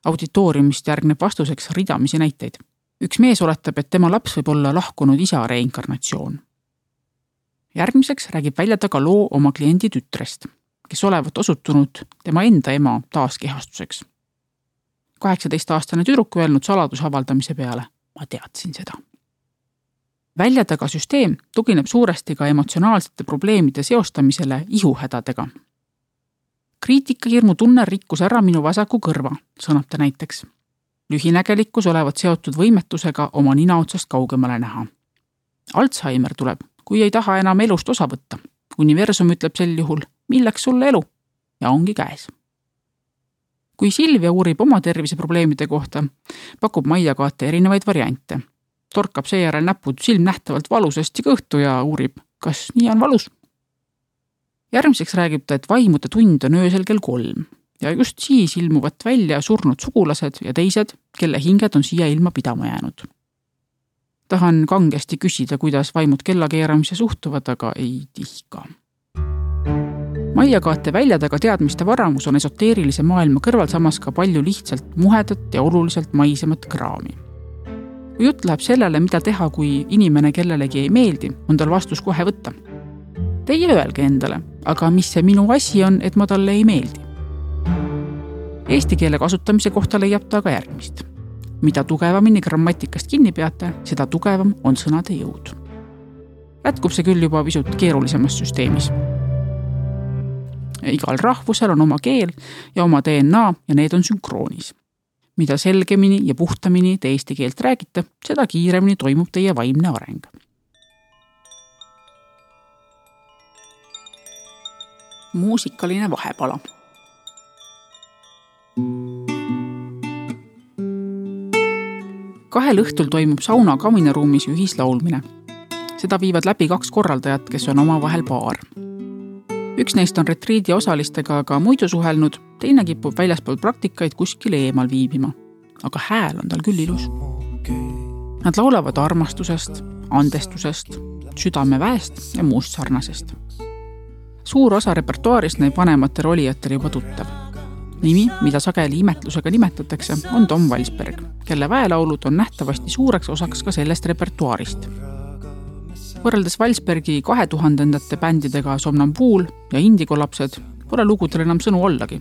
Auditooriumist järgneb vastuseks ridamisi näiteid. Üks mees oletab, et tema laps võib olla lahkunud isa reinkarnatsioon. Järgmiseks räägib välja taga loo oma kliendi tütrest, kes olevat osutunud tema enda ema taaskehastuseks. 18-aastane tüdruk öelnud saladuse avaldamise peale, ma teadsin seda. Välja taga süsteem tugineb suuresti ka emotsionaalsete probleemide seostamisele ihuhädadega. Kriitikahirmu tunne rikkus ära minu vasaku kõrva, sõnab ta näiteks. Lühinägelikkus olevat seotud võimetusega oma nina otsast kaugemale näha. Alzheimer tuleb, kui ei taha enam elust osa võtta. Universum ütleb sel juhul, milleks sulle elu? Ja ongi käes. Kui Silvia uurib oma terviseprobleemide kohta, pakub Maia Kaate erinevaid variante. Torkab seejärel näpud silmnähtavalt valusasti kõhtu ja uurib, kas nii on valus. Järgmiseks räägib ta, et vaimude tund on öösel kell 3 ja just siis ilmuvad välja surnud sugulased ja teised, kelle hinged on siia ilma pidama jäänud. Tahan kangesti küsida, kuidas vaimud kellakeeramise suhtuvad, aga ei tihka. Maia Kaate välja taga teadmiste varamus on esoteerilise maailma kõrval samas ka palju lihtsalt muhedat ja oluliselt maisemat kraami. Kui jutt läheb sellele, mida teha, kui inimene kellelegi ei meeldi, on tal vastus kohe võtta. Teie öelge endale, aga mis see minu asi on, et ma talle ei meeldi? Eesti keele kasutamise kohta leiab ta aga järgmist. Mida tugevamini grammatikast kinni peate, seda tugevam on sõnade jõud. Jätkub see küll juba pisut keerulisemas süsteemis. Igal rahvusel on oma keel ja oma DNA ja need on sünkroonis. Mida selgemini ja puhtamini te eesti keelt räägite, seda kiiremini toimub teie vaimne areng. Muusikaline vahepala. Kahel õhtul toimub sauna kaminaruumis ühislaulmine. Seda viivad läbi 2 korraldajat, kes on omavahel paar. Üks neist on retriidi osalistega aga muidu suhelnud, teine kipub väljaspool praktikaid kuskil eemal viibima. Aga hääl on tal küll ilus. Nad laulavad armastusest, andestusest, südameväest ja muust sarnasest. Suur osa repertuaarist näib vanematele olijatele juba tuttav. Nimi, mida sageli imetlusega nimetatakse, on Tom Valsberg, kelle väelaulud on nähtavasti suureks osaks ka sellest repertuaarist. Võrreldes Valsbergi 2000-ndate bändidega Somnambuul ja Indigo lapsed pole lugudel enam sõnu ollagi,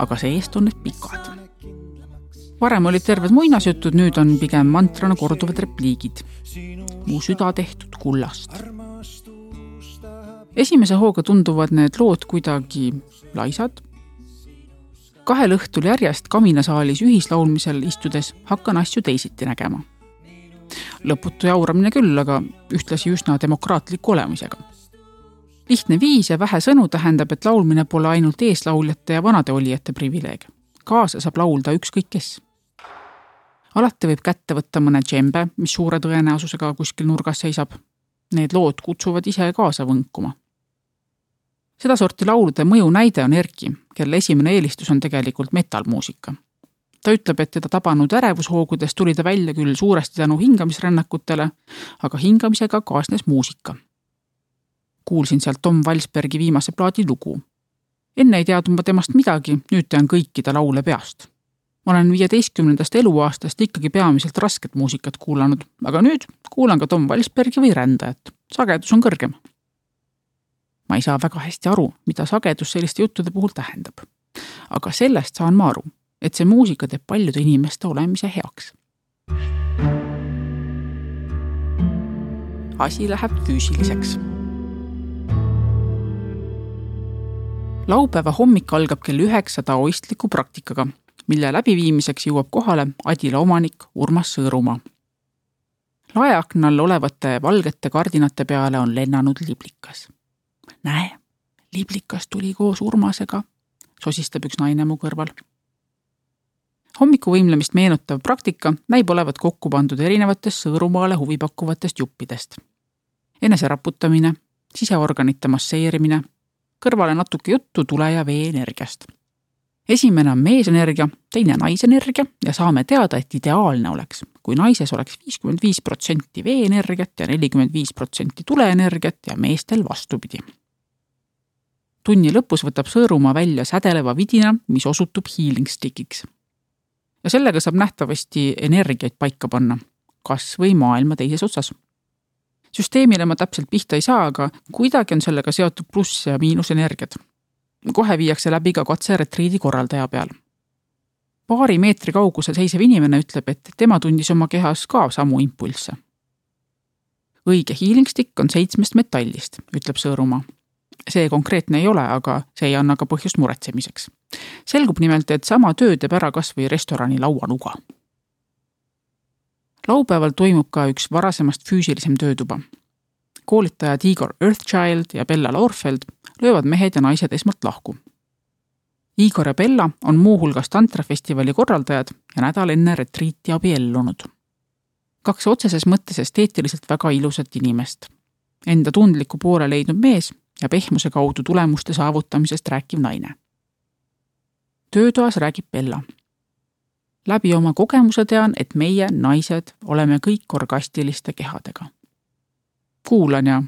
aga see-eest on need pikad. Varem olid terved muinasjutud, nüüd on pigem mantrana korduvad repliigid. Mu süda tehtud kullast. Esimese hooga tunduvad need lood kuidagi laisad. 2 õhtul järjest kaminasaalis ühislaulmisel istudes hakkan asju teisiti nägema. Lõputu jauramine küll, aga ühtlasi üsna demokraatliku olemisega. Lihtne viis ja vähe sõnu tähendab, et laulmine pole ainult eeslauljate ja vanade olijate privileeg. Kaasa saab laulda ükskõik kes. Alati võib kätte võtta mõne džembe, mis suure tõenäosusega kuskil nurgas seisab. Need lood kutsuvad ise kaasa võnkuma. Seda sorti laulude mõju näide on Erki, kelle esimene eelistus on tegelikult metalmuusika. Ta ütleb, et teda tabanud ärevushoogudes tuli ta välja küll suuresti tänu hingamisrännakutele, aga hingamisega kaasnes muusika. Kuulsin sealt Tom Valsbergi viimase plaadi lugu. Enne ei teadnud ma temast midagi, nüüd tean kõikide laule peast. Ma olen 15. eluaastast ikkagi peamiselt rasket muusikat kuulanud, aga nüüd kuulan ka Tom Valsbergi või rändajat. Sagedus on kõrgem. Ma ei saa väga hästi aru, mida sagedus selliste juttude puhul tähendab. Aga sellest saan ma aru, et see muusika teeb paljude inimeste olemise heaks. Asi läheb füüsiliseks. Laupäeva hommik algab kell 9 taoistliku praktikaga, mille läbiviimiseks jõuab kohale Adila omanik Urmas Sõõrumaa. Laeaknal olevate valgete kardinate peale on lennanud liblikas. Näe, liblikas tuli koos Urmasega, sosistab üks naine mu kõrval. Hommikuvõimlemist meenutav praktika näib olevat kokku pandud erinevatest Sõõrumaale huvipakkuvatest juppidest. Eneseraputamine, siseorganite masseerimine, kõrvale natuke juttu tule- ja vee-energiast. Esimene on meesenergia, teine naisenergia ja saame teada, et ideaalne oleks, kui naises oleks 55% vee-energiat ja 45% tuleenergiat ja meestel vastupidi. Tunni lõpus võtab Sõõrumaa välja sädeleva vidina, mis osutub healing stickiks. Ja sellega saab nähtavasti energiaid paika panna, kas või maailma teises otsas. Süsteemile ma täpselt pihta ei saa, aga kuidagi on sellega seotud pluss- ja miinusenergiad. Kohe viiakse läbi ka katse retriidi korraldaja peal. 2 meetri kaugusel seisev inimene ütleb, et tema tundis oma kehas ka samu impulsse. Õige healing stick on 7 metallist, ütleb Sõõrumaa. See konkreetne ei ole, aga see ei anna ka põhjust muretsemiseks. Selgub nimelt, et sama töö teeb ära kas või restorani lauanuga. Laupäeval toimub ka üks varasemast füüsilisem töötuba. Koolitajad Igor Earthchild ja Bella Laurfeld löövad mehed ja naised esmalt lahku. Igor ja Bella on muuhulgas tantrafestivali korraldajad ja nädal enne retriiti abiellunud. 2 otseses mõttes esteetiliselt väga ilusat inimest. Enda tundliku poole leidnud mees ja pehmuse kaudu tulemuste saavutamisest rääkiv naine. Töötoas räägib Bella. Läbi oma kogemuse tean, et meie, naised, oleme kõik orgastiliste kehadega. Kuulan ja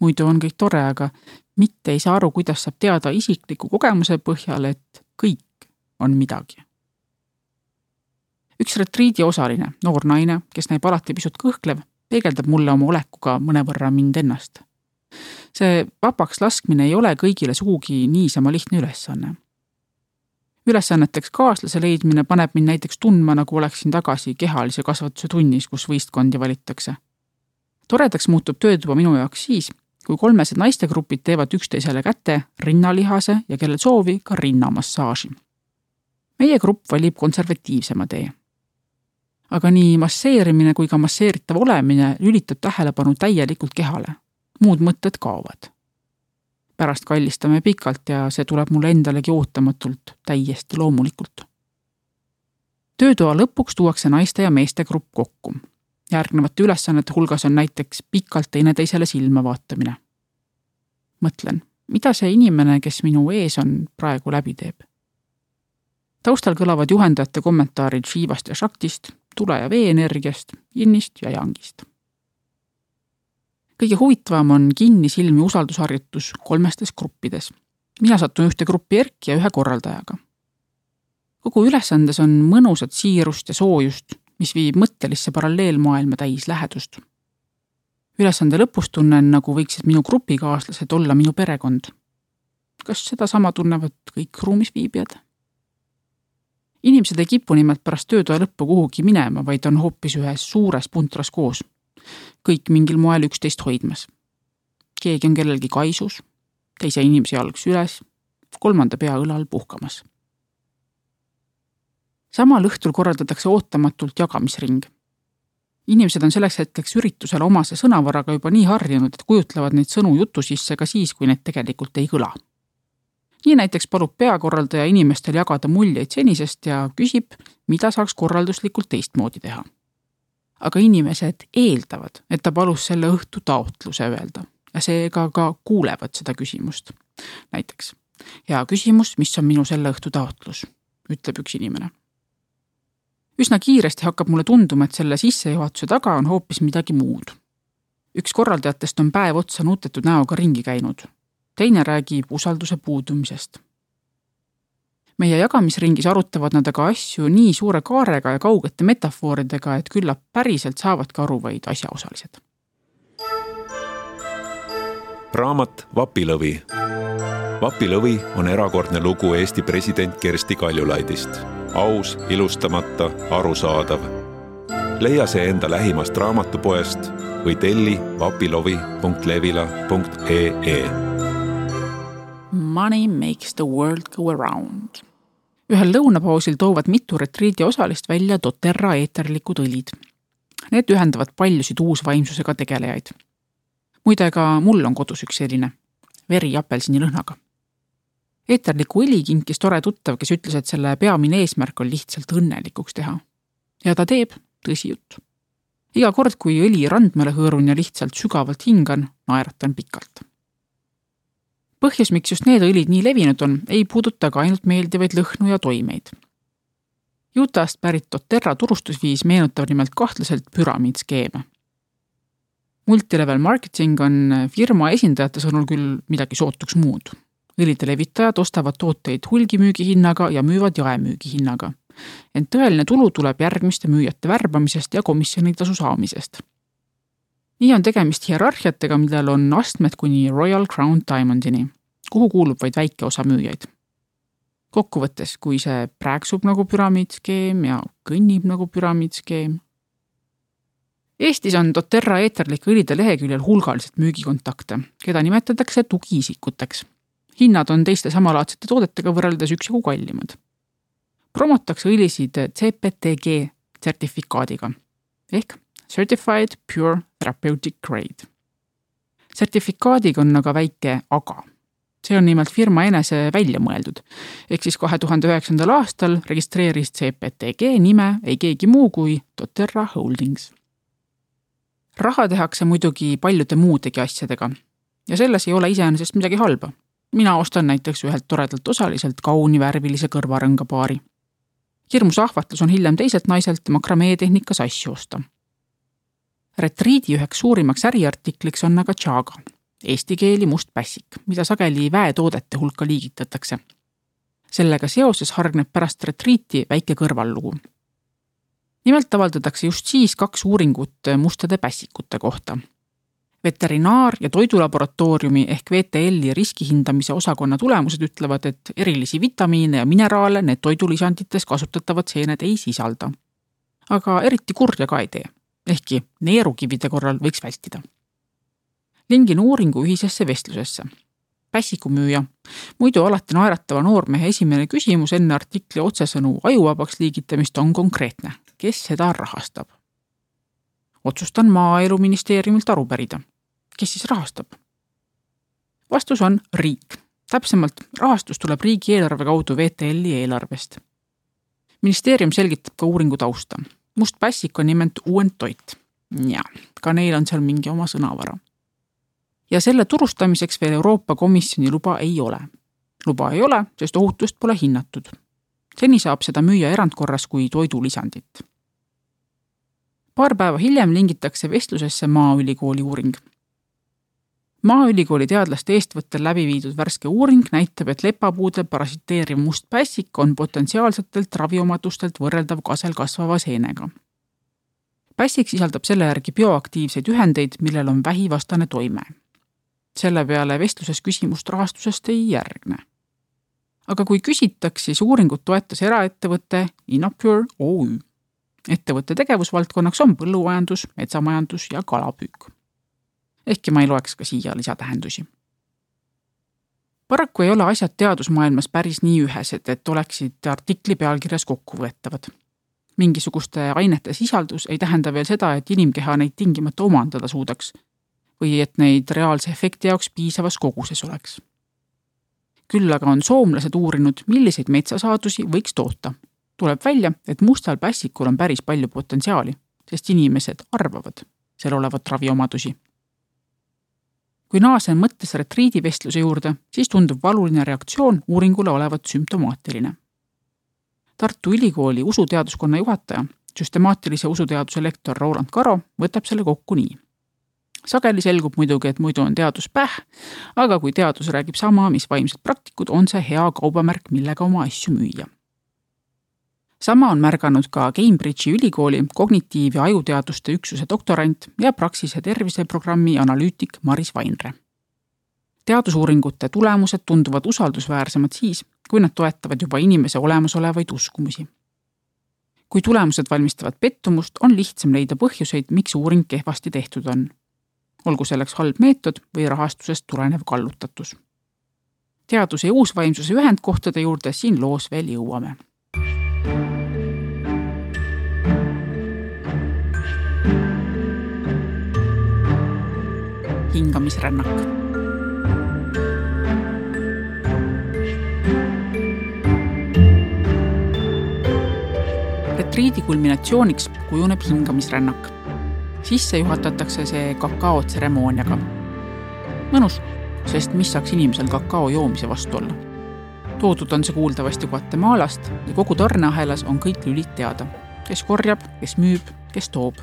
muidu on kõik tore, aga mitte ei saa aru, kuidas saab teada isikliku kogemuse põhjal, et kõik on midagi. Üks retriidi osaline, noor naine, kes näib alati pisut kõhklev, peegeldab mulle oma olekuga mõnevõrra mind ennast. See vabaks laskmine ei ole kõigile sugugi niisama lihtne ülesanne. Ülesanneteks kaaslase leidmine paneb mind näiteks tundma, nagu oleksin tagasi kehalise kasvatuse tunnis, kus võistkondi valittakse. Toredaks muutub töötuba minu jaoks siis, kui 3 naistegrupid teevad üksteisele käte, rinnalihase ja kellel soovi ka rinnamassaaži. Meie grupp valib konservatiivsema tee. Aga nii masseerimine kui ka masseeritav olemine lülitab tähelepanu täielikult kehale. Muud mõtted kaovad. Pärast kallistame pikalt ja see tuleb mulle endalegi ootamatult, täiesti loomulikult. Töötoa lõpuks tuuakse naiste ja meeste grupp kokku. Järgnevate ülesannete hulgas on näiteks pikalt teineteisele silma vaatamine. Mõtlen, mida see inimene, kes minu ees on, praegu läbi teeb? Taustal kõlavad juhendajate kommentaarid Shivast ja Shaktist, tule- ja vee-energiast, jinnist ja jangist. Kõige huvitavam on kinni silmi usaldusharjutus 3 gruppides. Mina satun ühte gruppi Erki ja 1 korraldajaga. Kogu ülesandes on mõnusat siirust ja soojust, mis viib mõttelisse paralleelmaailma täis lähedust. Ülesande lõpus tunnen, nagu võiksid minu grupikaaslased olla minu perekond. Kas seda sama tunnevad kõik ruumis viibijad? Inimesed ei kipu nimelt pärast töötoa lõppu kuhugi minema, vaid on hoopis ühes suures puntras koos. Kõik mingil moel üksteist hoidmas. Keegi on kellelgi kaisus, teise inimese jalg süles, kolmanda pea õlal puhkamas. Samal õhtul korraldatakse ootamatult jagamisring. Inimesed on selleks hetkeks üritusele omase sõnavaraga juba nii harjunud, et kujutlevad neid sõnu jutu sisse ka siis, kui need tegelikult ei kõla. Nii näiteks palub peakorraldaja inimestel jagada muljeid senisest ja küsib, mida saaks korralduslikult teistmoodi teha. Aga inimesed eeldavad, et ta palus selle õhtu taotluse öelda ja seega ka kuulevad seda küsimust. Näiteks, hea küsimus, mis on minu selle õhtu taotlus, ütleb üks inimene. Üsna kiiresti hakkab mulle tunduma, et selle sissejuhatuse taga on hoopis midagi muud. Üks korraldajatest on päev otsa nutetud näoga ringi käinud. Teine räägib usalduse puudumisest. Meie jagamisringis arutavad nad aga asju nii suure kaarega ja kaugete metafooridega, et küllap päriselt saavadki aru vaid asjaosalised. Raamat Vapilõvi. Vapilõvi on erakordne lugu Eesti president Kersti Kaljulaidist. Aus, ilustamata, arusaadav. Leia see enda lähimast raamatupoest või telli vapilovi.levila.ee. Money makes the world go around. Ühel lõunapausil toovad mitu retriidi osalist välja doTERRA eeterlikud õlid. Need ühendavad paljusid uusvaimsusega tegelejaid. Muide, ka mul on kodus üks selline, veri apelsini lõhnaga. Eeterliku õli kinkis tore tuttav, kes ütles, et selle peamine eesmärk on lihtsalt õnnelikuks teha. Ja ta teeb, tõsi jutt. Iga kord, kui õli randmele hõõrun ja lihtsalt sügavalt hingan, naeratan pikalt. Põhjus, miks just need õlid nii levinud on, ei puuduta ka ainult meeldivaid lõhnu ja toimeid. Utah'st pärit doTERRA turustusviis meenutab nimelt kahtlaselt püramiidskeeme. Multilevel marketing on firma esindajate sõnul küll midagi sootuks muud. Õlide levitajad ostavad tooteid hulgimüügi hinnaga ja müüvad jaemüügi hinnaga. Ent tõeline tulu tuleb järgmiste müüjate värbamisest ja komisjonitasu saamisest. Nii on tegemist hierarhiatega, millel on astmed kuni Royal Crown Diamondini, kuhu kuulub vaid väike osa müüjaid. Kokkuvõttes, kui see prääksub nagu püramiidskeem ja kõnnib nagu püramiidskeem. Eestis on doTERRA eeterlike õlide leheküljel hulgaliselt müügikontakte, keda nimetatakse tugiisikuteks. Hinnad on teiste samalaadsete toodetega võrreldes üksjagu kallimad. Promotakse õlisid CPTG sertifikaadiga ehk Certified Pure Therapeutic Grade. Sertifikaadiga on aga väike aga. See on nimelt firma enese välja mõeldud, ehk siis 2009. aastal registreeris CPTG nime ei keegi muu kui doTERRA Holdings. Raha tehakse muidugi paljude muudegi asjadega ja selles ei ole iseenesest midagi halba. Mina ostan näiteks ühelt toredalt osaliselt kauni värvilise kõrvarõngapaari. Hirmus ahvatlus on hiljem teiselt naiselt makrameetehnikas asju osta. Retriidi üheks suurimaks äriartikliks on aga chaga, eesti keeli must pässik, mida sageli väetoodete hulka liigitatakse. Sellega seoses hargneb pärast retriiti väike kõrvallugu. Nimelt avaldatakse just siis 2 uuringut mustade pässikute kohta. Veterinaar- ja toidulaboratooriumi ehk VTL-i riskihindamise osakonna tulemused ütlevad, et erilisi vitamiine ja mineraale need toidulisandites kasutatavad seened ei sisalda. Aga eriti kurja ka ei tee, ehkki neerukivide korral võiks vältida. Lingin uuringu ühisesse vestlusesse. Pässikumüüja, muidu alati naeratava noormehe esimene küsimus enne artikli otsesõnu ajuvabaks liigitamist on konkreetne. Kes seda rahastab? Otsustan Maaeluministeeriumilt aru pärida. Kes siis rahastab? Vastus on riik. Täpsemalt, rahastus tuleb riigieelarve kaudu VTL-i eelarvest. Ministeerium selgitab ka uuringu tausta. Must pässik on nimelt uuendtoit. Ja, ka neil on seal mingi oma sõnavara. Ja selle turustamiseks veel Euroopa Komisjoni luba ei ole. Luba ei ole, sest ohutust pole hinnatud. Seni saab seda müüa erandkorras kui toidulisandit. Paar päeva hiljem lingitakse vestlusesse Maaülikooli uuring. Maaülikooli teadlaste eestvõttel läbi viidud värske uuring näitab, et lepapuudel parasiteeriv must pässik on potentsiaalsetelt raviomadustelt võrreldav kasel kasvava seenega. Pässik sisaldab selle järgi bioaktiivseid ühendeid, millel on vähivastane toime. Selle peale vestluses küsimust rahastusest ei järgne. Aga kui küsitaks, siis uuringut toetas eraettevõte Innopure OÜ. Ettevõtte tegevusvaldkonnaks on põllumajandus, metsamajandus ja kalapüük. Ehkki ma ei loeks ka siia lisatähendusi. Paraku ei ole asjad teadusmaailmas päris nii ühesed, et oleksid artikli pealkirjas kokkuvõetavad. Mingisuguste ainete sisaldus ei tähenda veel seda, et inimkeha neid tingimata omandada suudaks või et neid reaalse efekti jaoks piisavas koguses oleks. Küll aga on soomlased uurinud, milliseid metsasaadusi võiks toota. Tuleb välja, et mustal pässikul on päris palju potentsiaali, sest inimesed arvavad seal olevat raviomadusi. Kui naasen mõttes retriidivestluse juurde, siis tundub valuline reaktsioon uuringule olevat sümptomaatiline. Tartu Ülikooli usuteaduskonna juhataja, süstemaatilise usuteaduse lektor Roland Karo võtab selle kokku nii. Sageli selgub muidugi, et muidu on teadus päh, aga kui teadus räägib sama, mis vaimsed praktikud, on see hea kaubamärk, millega oma asju müüa. Sama on märganud ka Cambridge'i ülikooli kognitiiv- ja ajuteaduste üksuse doktorant ja Praxise terviseprogrammi analüütik Maris Vainre. Teadusuuringute tulemused tunduvad usaldusväärsemad siis, kui nad toetavad juba inimese olemasolevaid uskumusi. Kui tulemused valmistavad pettumust, on lihtsam leida põhjuseid, miks uuring kehvasti tehtud on. Olgu selleks halb meetod või rahastusest tulenev kallutatus. Teaduse ja uusvaimsuse ühendkohtade juurde siin loos veel jõuame. Hingamisrännak. Retriidi kulminatsiooniks kujuneb hingamisrännak. Sisse juhatatakse see kakaotseremooniaga. Mõnus, sest mis saaks inimesel kakao joomise vastu olla. Toodud on see kuuldavasti Guatemalast ja kogu tarneahelas on kõik lülid teada. Kes korjab, kes müüb, kes toob.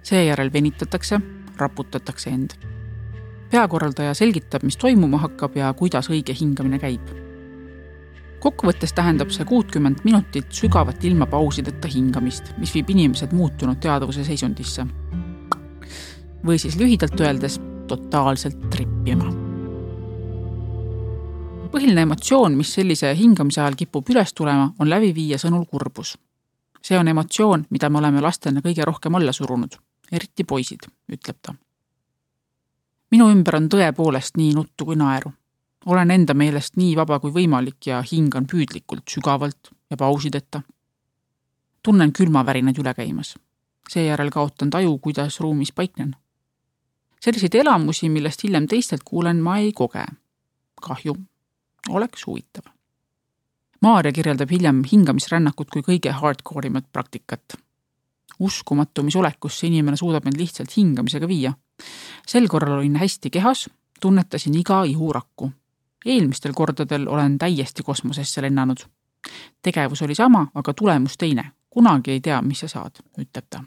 Seejärel venitatakse, raputatakse end. Peakorraldaja selgitab, mis toimuma hakkab ja kuidas õige hingamine käib. Kokkuvõttes tähendab see 60 minutit sügavat ilma pausideta hingamist, mis viib inimesed muutunud teadvuse seisundisse. Või siis lühidalt öeldes totaalselt trippima. Põhiline emotsioon, mis sellise hingamise ajal kipub üles tulema, on läbiviija sõnul kurbus. See on emotsioon, mida me oleme lastena kõige rohkem alla surunud, eriti poisid, ütleb ta. Minu ümber on tõepoolest nii nuttu kui naeru. Olen enda meelest nii vaba kui võimalik ja hingan püüdlikult, sügavalt ja pausideta. Tunnen külmavärinad üle käimas. Seejärel kaotan taju, kuidas ruumis paiknen. Selliseid elamusi, millest hiljem teistelt kuulen, ma ei koge. Kahju. Oleks huvitav. Maarja kirjeldab hiljem hingamisrännakut kui kõige hardcoreimat praktikat. Uskumatu, mis olekusse inimene suudab end lihtsalt hingamisega viia. Sel korral olin hästi kehas, tunnetasin iga ihurakku. Eelmistel kordadel olen täiesti kosmosesse lennanud. Tegevus oli sama, aga tulemus teine. Kunagi ei tea, mis sa saad, ütleb ta.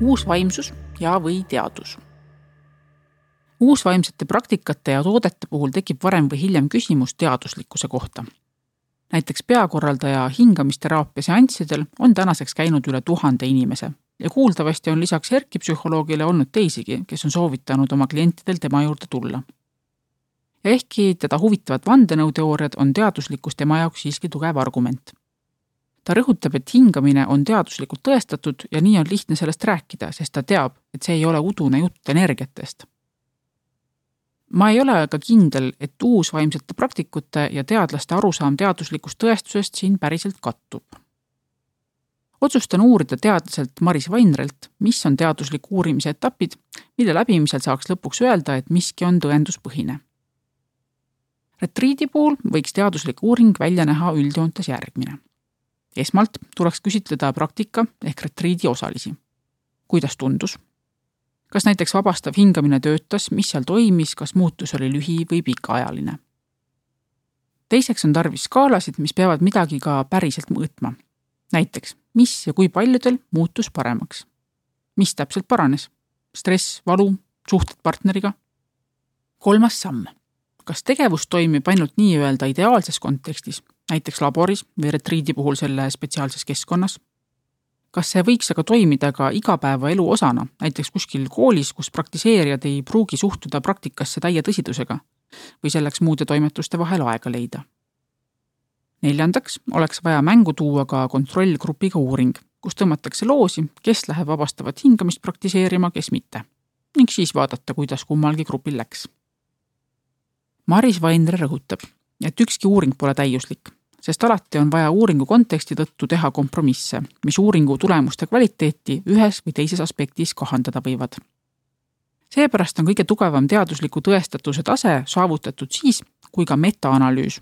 Uusvaimsus ja või teadus. Uusvaimsete praktikate ja toodete puhul tekib varem või hiljem küsimus teaduslikkuse kohta. Näiteks peakorraldaja hingamisteraapia seanssidel on tänaseks käinud üle 1000 inimese ja kuuldavasti on lisaks erkipsühholoogile olnud teisigi, kes on soovitanud oma klientidel tema juurde tulla. Ja ehkki teda huvitavad vandenõuteooriad, on teaduslikkus tema jaoks siiski tugev argument. Ta rõhutab, et hingamine on teaduslikult tõestatud ja nii on lihtne sellest rääkida, sest ta teab, et see ei ole udune jutt energiatest. Ma ei ole aga kindel, et uusvaimsete praktikute ja teadlaste arusaam teaduslikust tõestusest siin päriselt kattub. Otsustan uurida teadlaselt Maris Vainrelt, mis on teaduslik uurimise etapid, mille läbimisel saaks lõpuks öelda, et miski on tõenduspõhine. Retriidi puhul võiks teaduslik uuring välja näha üldjoontes järgmine. Esmalt tuleks küsitleda praktika ehk retriidi osalisi. Kuidas tundus? Kas näiteks vabastav hingamine töötas, mis seal toimis, kas muutus oli lühi või pikaajaline? Teiseks on tarvis skaalasid, mis peavad midagi ka päriselt mõõtma. Näiteks, mis ja kui paljudel muutus paremaks? Mis täpselt paranes? Stress, valu, suhted partneriga? 3. samm. Kas tegevus toimib ainult nii öelda ideaalses kontekstis, näiteks laboris või retriidi puhul selle spetsiaalses keskkonnas, Kas see võiks aga toimida ka igapäevaelu osana, näiteks kuskil koolis, kus praktiseerijad ei pruugi suhtuda praktikasse täie tõsidusega või selleks muude toimetuste vahel aega leida? 4. oleks vaja mängu tuua ka kontrollgrupiga uuring, kus tõmmatakse loosi, kes läheb vabastavat hingamist praktiseerima, kes mitte, ning siis vaadata, kuidas kummalgi grupil läks. Maris Vaindre rõhutab, et ükski uuring pole täiuslik, sest alati on vaja uuringu konteksti tõttu teha kompromisse, mis uuringu tulemuste kvaliteeti ühes või teises aspektis kahandada võivad. Seepärast on kõige tugevam teadusliku tõestatuse tase saavutatud siis, kui ka metaanalüüs,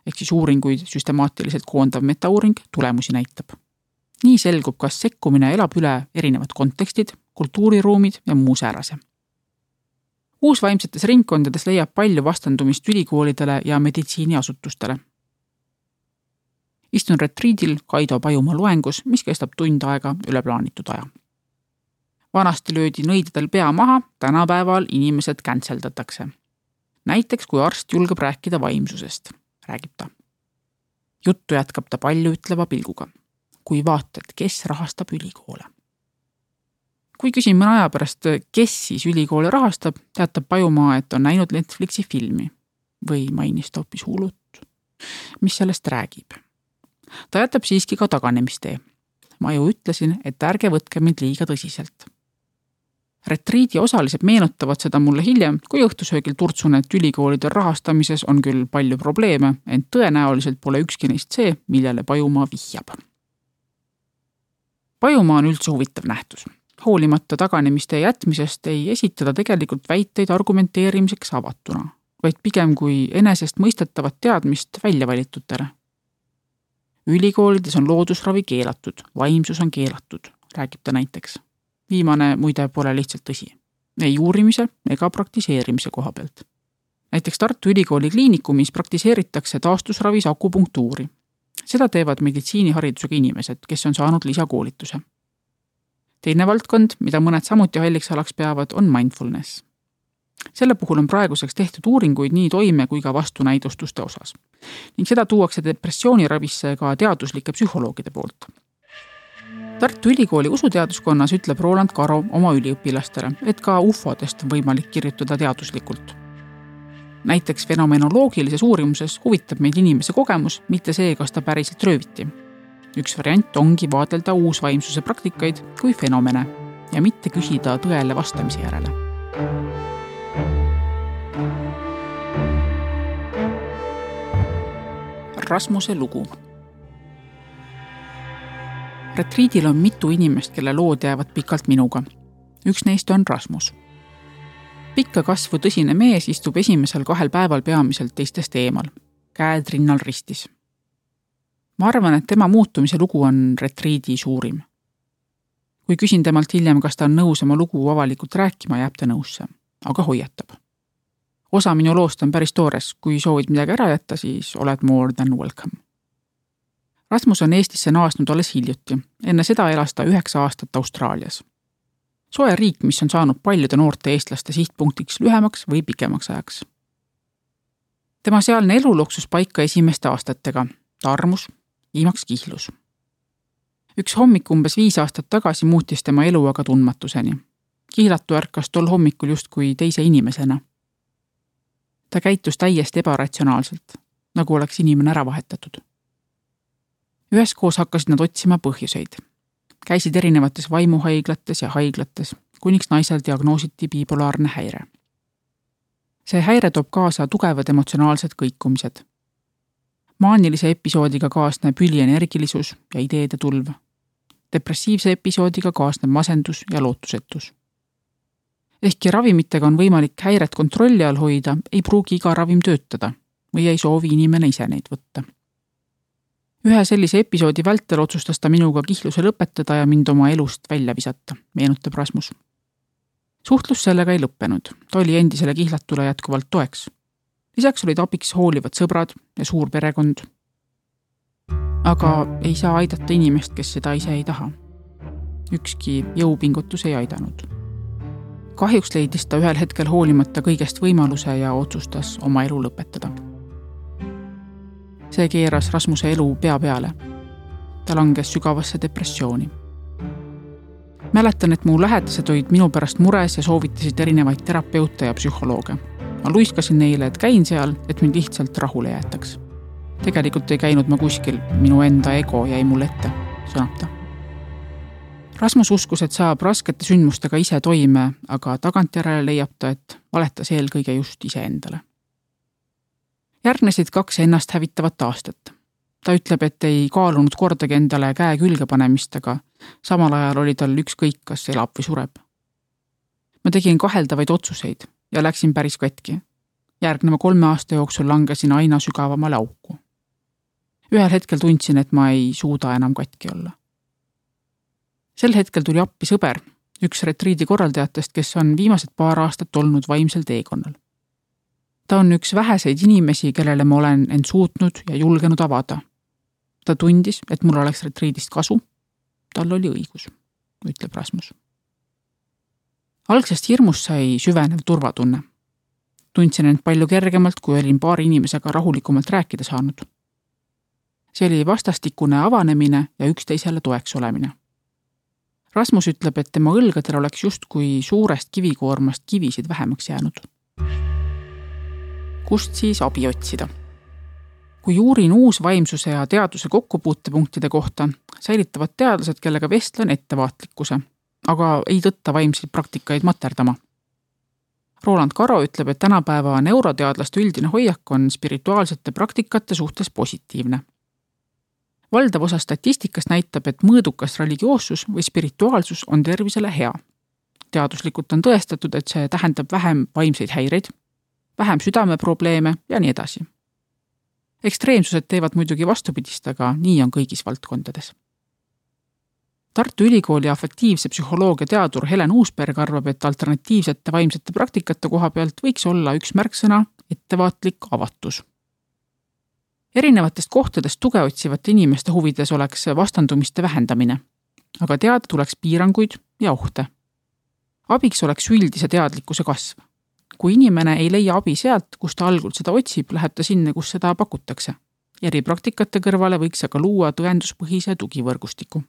ehk siis uuringuid süstemaatiliselt koondav metauuring tulemusi näitab. Nii selgub, kas sekkumine elab üle erinevad kontekstid, kultuuriruumid ja muu säärase. Uusvaimsetes ringkondades leiab palju vastandumist ülikoolidele ja meditsiiniasutustele. Istun retriidil Kaido Pajumaa loengus, mis kestab tund aega üle plaanitud aja. Vanasti löödi nõidadel pea maha, tänapäeval inimesed kantseldatakse. Näiteks, kui arst julgeb rääkida vaimsusest, räägib ta. Juttu jätkab ta palju ütleva pilguga. Kui vaatad, kes rahastab ülikoole. Kui küsin mõne aja pärast, kes siis ülikoole rahastab, teatab Pajumaa, et on näinud Netflixi filmi või mainis ta hoopis Hulut, mis sellest räägib. Ta jätab siiski ka taganemistee. Ma ju ütlesin, et ärge võtke mind liiga tõsiselt. Retriidi osalised meenutavad seda mulle hiljem, kui õhtusöögil turtsun, et ülikoolide rahastamises on küll palju probleeme, ent tõenäoliselt pole ükski neist see, millele Pajumaa vihjab. Pajumaa on üldse huvitav nähtus. Hoolimata taganemiste jätmisest ei esitada tegelikult väiteid argumenteerimiseks avatuna, vaid pigem kui enesest mõistetavat teadmist väljavalitutele. Ülikoolides on loodusravi keelatud, vaimsus on keelatud, räägib ta näiteks. Viimane muide pole lihtsalt tõsi. Ei uurimise ega praktiseerimise koha pealt. Näiteks Tartu Ülikooli kliinikumis praktiseeritakse taastusravis akupunktuuri. Seda teevad meditsiiniharidusega inimesed, kes on saanud lisakoolituse. Teine valdkond, mida mõned samuti halliks alaks peavad, on mindfulness. Selle puhul on praeguseks tehtud uuringuid nii toime kui ka vastunäidustuste osas. Ning seda tuuakse depressiooniravisse ka teaduslike psühholoogide poolt. Tartu Ülikooli usuteaduskonnas ütleb Roland Karo oma üliõpilastele, et ka ufodest on võimalik kirjutada teaduslikult. Näiteks fenomenoloogilises uurimuses huvitab meid inimese kogemus, mitte see, kas ta päriselt rööviti. Üks variant ongi vaadelda uusvaimsuse praktikaid kui fenomene ja mitte küsida tõele vastamise järele. Rasmuse lugu. Retriidil on mitu inimest, kelle lood jäävad pikalt minuga. Üks neist on Rasmus. Pikka kasvu tõsine mees istub esimesel 2 päeval peamiselt teistest eemal, käed rinnal ristis. Ma arvan, et tema muutumise lugu on retriidi suurim. Kui küsin temalt hiljem, kas ta on nõus oma lugu avalikult rääkima, jääb ta nõusse, aga hoiatab. Osa minu loost on päris toores, kui soovid midagi ära jätta, siis oled more than welcome. Rasmus on Eestisse naasnud alles hiljuti, enne seda elas ta 9 aastat Austraalias. Soe riik, mis on saanud paljude noorte eestlaste sihtpunktiks lühemaks või pikemaks ajaks. Tema sealne elu loksus paika esimeste aastatega, ta armus, viimaks kihlus. Üks hommik umbes 5 aastat tagasi muutis tema elu aga tundmatuseni. Kihlatu ärkas tol hommikul justkui teise inimesena. Ta käitus täiesti ebaratsionaalselt, nagu oleks inimene ära vahetatud. Üheskoos hakkasid nad otsima põhjuseid. Käisid erinevates vaimuhaiglates ja haiglates, kuniks naisel diagnoositi bipolaarne häire. See häire toob kaasa tugevad emotsionaalsed kõikumised. Maanilise episoodiga kaasneb ülienergilisus ja ideede tulv. Depressiivse episoodiga kaasneb masendus ja lootusetus. Ehkki ravimitega on võimalik häiret kontrolli all hoida, ei pruugi iga ravim töötada või ei soovi inimene ise neid võtta. Ühe sellise episoodi vältel otsustas ta minuga kihluse lõpetada ja mind oma elust välja visata, meenutab Rasmus. Suhtlus sellega ei lõppenud, ta oli endisele kihlatule jätkuvalt toeks. Lisaks olid abiks hoolivad sõbrad ja suur perekond. Aga ei saa aidata inimest, kes seda ise ei taha. Ükski jõupingutus ei aidanud. Kahjuks leidis ta ühel hetkel hoolimata kõigest võimaluse ja otsustas oma elu lõpetada. See keeras Rasmuse elu pea peale. Ta langes sügavasse depressiooni. Mäletan, et mu lähedased olid minu pärast mures ja soovitasid erinevaid terapeute ja psühholooge. Ma luiskasin neile, et käin seal, et mind lihtsalt rahule jäetaks. Tegelikult ei käinud ma kuskil, minu enda ego jäi mul ette, sõnab ta. Rasmus uskus, et saab raskete sündmustega ise toime, aga tagantjärele leiab ta, et valetas eelkõige just iseendale. Järgnesid 2 ennast hävitavat aastat. Ta ütleb, et ei kaalunud kordagi endale käe külge panemist, aga samal ajal oli tal ükskõik, kas elab või sureb. Ma tegin kaheldavaid otsuseid ja läksin päris katki. Järgneva 3 aasta jooksul langesin aina sügavamale auku. Ühel hetkel tundsin, et ma ei suuda enam katki olla. Sel hetkel tuli appi sõber, üks retriidi korraldajatest, kes on viimased 2 aastat olnud vaimsel teekonnal. Ta on üks väheseid inimesi, kellele ma olen end suutnud ja julgenud avada. Ta tundis, et mul oleks retriidist kasu. Tal oli õigus, ütleb Rasmus. Algsest hirmust sai süvenev turvatunne. Tundsin end palju kergemalt, kui olin 2 inimesega rahulikumalt rääkida saanud. See oli vastastikune avanemine ja üksteisele toeks olemine. Rasmus ütleb, et tema õlgadel oleks justkui suurest kivikoormast kivisid vähemaks jäänud. Kust siis abi otsida? Kui uurin uusvaimsuse ja teaduse kokkupuutepunktide kohta, säilitavad teadlased, kellega vestlen ettevaatlikkuse, aga ei tõtta vaimseid praktikaid materdama. Roland Karo ütleb, et tänapäeva neuroteadlaste üldine hoiak on spirituaalsete praktikate suhtes positiivne. Valdav osa statistikast näitab, et mõõdukas religioossus või spirituaalsus on tervisele hea. Teaduslikult on tõestatud, et see tähendab vähem vaimseid häireid, vähem südameprobleeme ja nii edasi. Ekstreemsused teevad muidugi vastupidist, aga nii on kõigis valdkondades. Tartu Ülikooli afektiivse psühholoogia teadur Helen Uusberg arvab, et alternatiivsete vaimsete praktikate koha pealt võiks olla üks märksõna ettevaatlik avatus. Erinevatest kohtadest tuge otsivate inimeste huvides oleks vastandumiste vähendamine, aga teada tuleks piiranguid ja ohte. Abiks oleks üldise teadlikkuse kasv. Kui inimene ei leia abi sealt, kus ta algul seda otsib, läheb ta sinna, kus seda pakutakse. Eripraktikate kõrvale võiks aga luua tõenduspõhise tugivõrgustiku.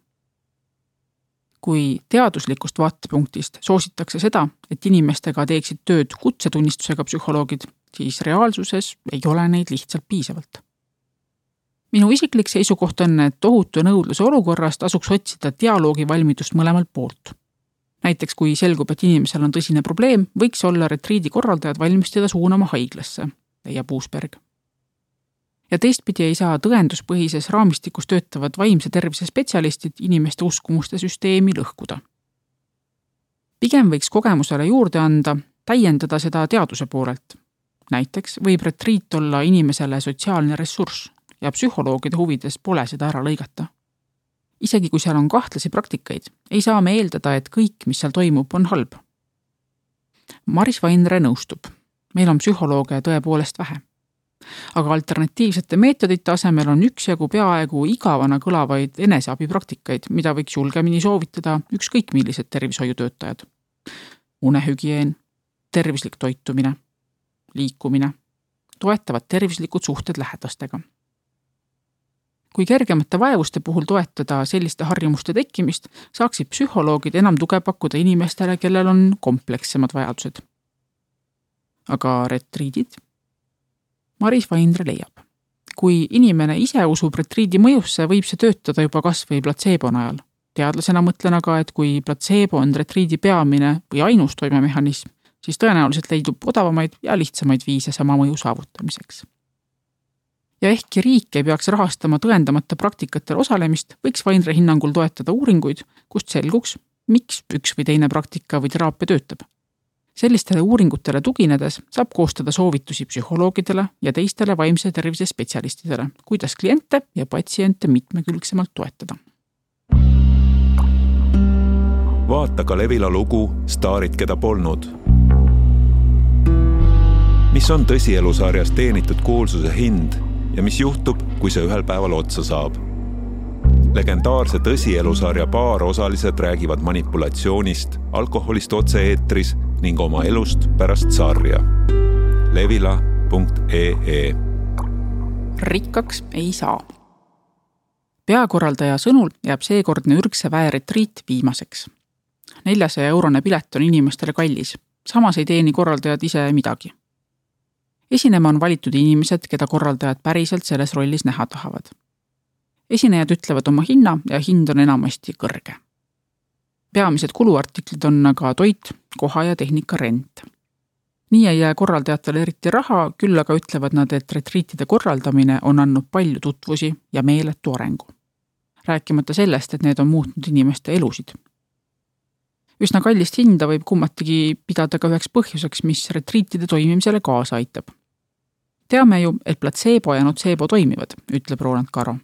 Kui teaduslikust vaatepunktist soositakse seda, et inimestega teeksid tööd kutsetunnistusega psühholoogid, siis reaalsuses ei ole neid lihtsalt piisavalt. Minu isiklik seisukoht on, et tohutu nõudluse olukorrast tasuks otsida dialoogi valmidust mõlemalt poolt. Näiteks kui selgub, et inimesel on tõsine probleem, võiks olla retriidi korraldajad valmis teda suunama haiglasse, leiab Uusberg. Ja teistpidi ei saa tõenduspõhises raamistikus töötavad vaimse tervise spetsialistid inimeste uskumuste süsteemi lõhkuda. Pigem võiks kogemusele juurde anda, täiendada seda teaduse poolelt. Näiteks võib retriit olla inimesele sotsiaalne ressurss ja psühholoogide huvides pole seda ära lõigata. Isegi kui seal on kahtlasi praktikaid, ei saa me eeldada, et kõik, mis seal toimub, on halb. Maris Vainre nõustub. Meil on psühholooge tõepoolest vähe. Aga alternatiivsete meetodite asemel on üksjagu peaaegu igavana kõlavaid eneseabipraktikaid, mida võiks julgemini soovitada ükskõik millised tervishoiutöötajad. Unehügieen, tervislik toitumine, liikumine, toetavad tervislikud suhted lähedastega. Kui kergemate vaevuste puhul toetada selliste harjumuste tekkimist, saaksid psühholoogid enam tuge pakkuda inimestele, kellel on komplekssemad vajadused. Aga retriidid? Maris Vainre leiab. Kui inimene ise usub retriidi mõjusse, võib see töötada juba kas või platseebo najal. Teadlasena mõtlen aga, et kui platseebo on retriidi peamine või ainus toimemehhanism, siis tõenäoliselt leidub odavamaid ja lihtsamaid viise sama mõju saavutamiseks. Ja ehkki riik ei peaks rahastama tõendamata praktikatel osalemist, võiks Vainre hinnangul toetada uuringuid, kust selguks, miks üks või teine praktika või teraapia töötab. Sellistele uuringutele tuginedes saab koostada soovitusi psühholoogidele ja teistele vaimse tervise spetsialistidele, kuidas kliente ja patsiente mitmekülgsemalt toetada. Vaata ka Levila lugu Staarid, keda polnud. Mis on tõsielusarjas teenitud kuulsuse hind ja mis juhtub, kui see ühel päeval otsa saab? Legendaarse tõsielusarja paar osalised räägivad manipulatsioonist, alkoholist otse-eetris ning oma elust pärast sarja. Levila.ee Rikkaks ei saa. Peakorraldaja sõnul jääb seekordne ürgse väe retriit viimaseks. 400-eurone pilet on inimestele kallis, samas ei teeni korraldajad ise midagi. Esinema on valitud inimesed, keda korraldajad päriselt selles rollis näha tahavad. Esinejad ütlevad oma hinna ja hind on enamasti kõrge. Peamised kuluartiklid on aga toit, koha ja tehnika rent. Nii ei jää korraldajatele eriti raha, küll aga ütlevad nad, et retriitide korraldamine on andnud palju tutvusi ja meeletu arengu. Rääkimata sellest, et need on muutnud inimeste elusid. Üsna kallist hinda võib kummatigi pidada ka üheks põhjuseks, mis retriitide toimimisele kaasa aitab. Teame ju, et placebo ja nocebo toimivad, ütleb Roland Caro.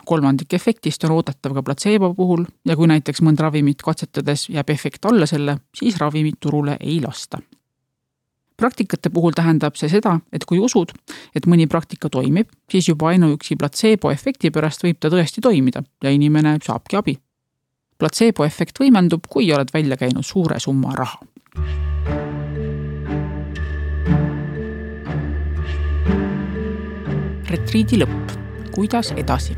3% efektist on oodatav ka placebo puhul ja kui näiteks mõnd ravimit katsetades jääb efekt alla selle, siis ravimit turule ei lasta. Praktikate puhul tähendab see seda, et kui usud, et mõni praktika toimib, siis juba ainuüksi placebo efekti pärast võib ta tõesti toimida ja inimene saabki abi. Placebo efekt võimendub, kui oled välja käinud suure summa raha. Retriidi lõpp. Kuidas edasi?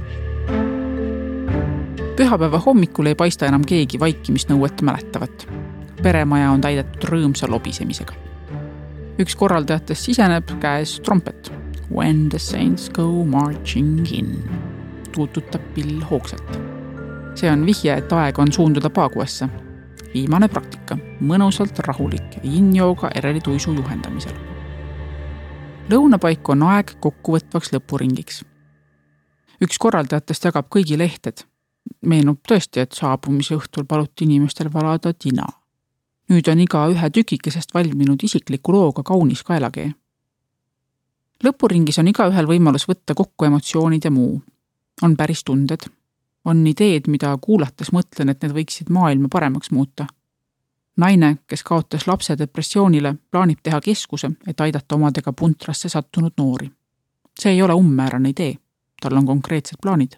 Pühapäeva hommikul ei paista enam keegi vaikimisnõuet mäletavat. Peremaja on täidetud rõõmsa lobisemisega. Üks korraldajatest siseneb käes trompet. When the saints go marching in. Tuututab pill hoogsalt. See on vihje, et aeg on suunduda Paaguasse. Viimane praktika. Mõnusalt rahulik yin-jooga erelituisu juhendamisel. Lõunapaik on aeg kokkuvõtvaks lõpuringiks. Üks korraldajatest jagab kõigi lehted. Meenub tõesti, et saabumise õhtul paluti inimestel valada tina. Nüüd on iga ühe tükikesest valminud isikliku looga kaunis kaelakee. Lõpuringis on iga ühel võimalus võtta kokku emotsioonid ja muu. On päris tunded. On ideed, mida kuulates mõtlen, et need võiksid maailma paremaks muuta. Naine, kes kaotas lapse depressioonile, plaanib teha keskuse, et aidata omadega puntrasse sattunud noori. See ei ole ummäärane idee. Tal on konkreetsed plaanid.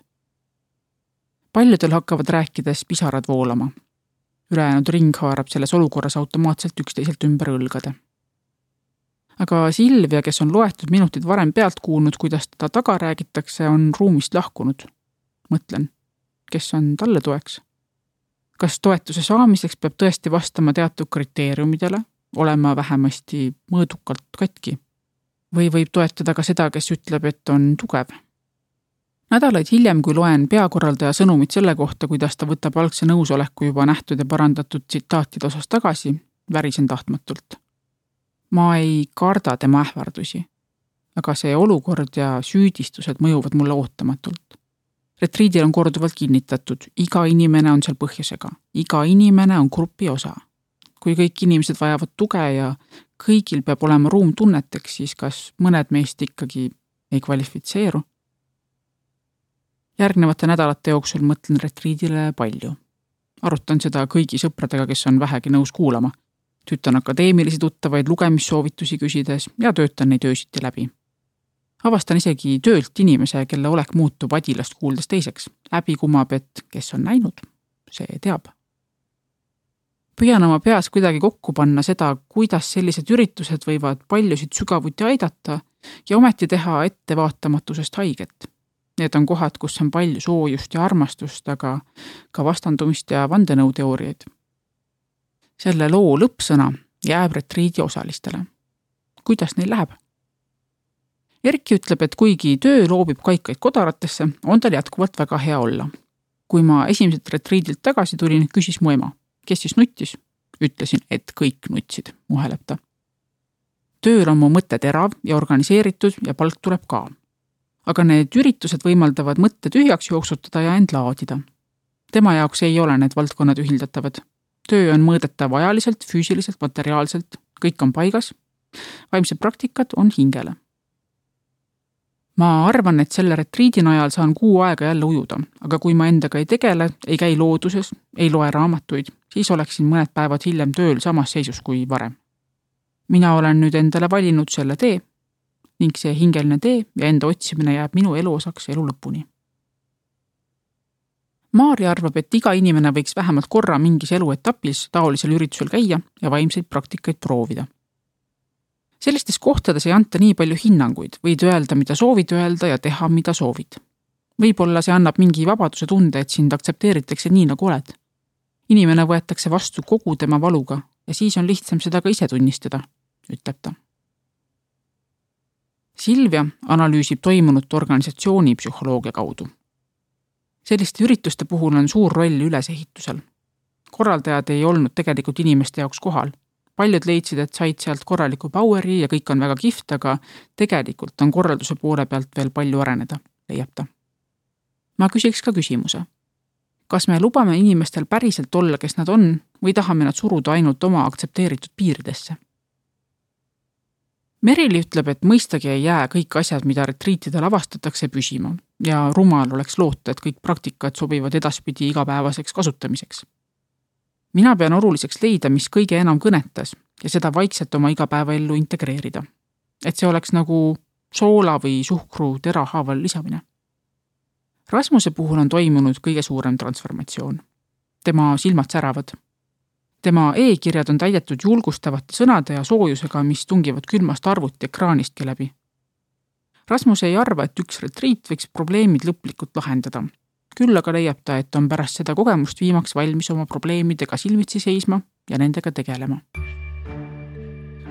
Paljudel hakkavad rääkides pisarad voolama. Ülejäänud ring haarab selles olukorras automaatselt üksteiselt ümber õlgade. Aga Silvia, kes on loetud minutid varem pealt kuulnud, kuidas teda taga räägitakse, on ruumist lahkunud. Mõtlen, kes on talle toeks? Kas toetuse saamiseks peab tõesti vastama teatud kriteeriumidele, olema vähemasti mõõdukalt katki? Või võib toetada ka seda, kes ütleb, et on tugev? Nädalaid hiljem, kui loen peakorraldaja sõnumit selle kohta, kuidas ta võtab algse nõusoleku juba nähtud ja parandatud tsitaatide osas tagasi, värisen tahtmatult. Ma ei karda tema ähvardusi, aga see olukord ja süüdistused mõjuvad mulle ootamatult. Retriidil on korduvalt kinnitatud, iga inimene on seal põhjusega, iga inimene on grupi osa. Kui kõik inimesed vajavad tuge ja kõigil peab olema ruum tunneteks, siis kas mõned meist ikkagi ei kvalifitseeru? Järgnevate nädalate jooksul mõtlen retriidile palju. Arutan seda kõigi sõpradega, kes on vähegi nõus kuulama. Tüütan akadeemilisi tuttavaid lugemissoovitusi küsides ja töötan neid öösiti läbi. Avastan isegi töölt inimese, kelle olek muutub adilast kuuldes teiseks. Läbi kumab, et kes on näinud, see teab. Püüan oma peas kuidagi kokku panna seda, kuidas sellised üritused võivad paljusid sügavuti aidata ja ometi teha ettevaatamatusest haiget. Need on kohad, kus on palju soojust ja armastust, aga ka vastandumist ja vandenõuteooriaid. Selle loo lõppsõna jääb retriidi osalistele. Kuidas neil läheb? Erki ütleb, et kuigi töö loobib kaikaid kodaratesse, on tal jätkuvalt väga hea olla. Kui ma esimeselt retriidilt tagasi tulin, küsis mu ema, kes siis nuttis? Ütlesin, et kõik nutsid, muheleb ta. Tööl on mu mõte terav ja organiseeritud ja palk tuleb ka. Aga need üritused võimaldavad mõtte tühjaks jooksutada ja end laadida. Tema jaoks ei ole need valdkonnad ühildatavad. Töö on mõõdetav ajaliselt, füüsiliselt, materiaalselt, kõik on paigas. Vaimsed praktikad on hingele. Ma arvan, et selle retriidi najal saan kuu aega jälle ujuda, aga kui ma endaga ei tegele, ei käi looduses, ei loe raamatuid, siis oleksin mõned päevad hiljem tööl samas seisus kui varem. Mina olen nüüd endale valinud selle tee ning see hingeline tee ja enda otsimine jääb minu elu osaks elu lõpuni. Maarja arvab, et iga inimene võiks vähemalt korra mingis eluetapis taolisel üritusel käia ja vaimseid praktikaid proovida. Sellistes kohtades ei anta nii palju hinnanguid, võid öelda, mida soovid öelda ja teha, mida soovid. Võib-olla see annab mingi vabaduse tunde, et sind aktsepteeritakse nii, nagu oled. Inimene võetakse vastu kogu tema valuga ja siis on lihtsam seda ka ise tunnistada, ütleb ta. Silvia analüüsib toimunut organisatsiooni psühholoogia kaudu. Selliste ürituste puhul on suur roll ülesehitusel. Korraldajad ei olnud tegelikult inimeste jaoks kohal. Paljud leidsid, et said sealt korraliku poweri ja kõik on väga kihvt, aga tegelikult on korralduse poole pealt veel palju areneda, leiab ta. Ma küsiks ka küsimuse. Kas me lubame inimestel päriselt olla, kes nad on, või tahame nad suruda ainult oma aktsepteeritud piiridesse? Merili ütleb, et mõistagi ei jää kõik asjad, mida retriitidel avastatakse püsima ja rumal oleks loota, et kõik praktikad sobivad edaspidi igapäevaseks kasutamiseks. Mina pean oluliseks leida, mis kõige enam kõnetas ja seda vaikselt oma igapäevaellu integreerida. Et see oleks nagu soola või suhkru terahaaval lisamine. Rasmuse puhul on toimunud kõige suurem transformatsioon. Tema silmad säravad. Tema e-kirjad on täidetud julgustavate sõnade ja soojusega, mis tungivad külmast arvuti ekraanistki läbi. Rasmus ei arva, et üks retriit võiks probleemid lõplikult lahendada. Küll aga leiab ta, et on pärast seda kogemust viimaks valmis oma probleemidega silmitsi seisma ja nendega tegelema.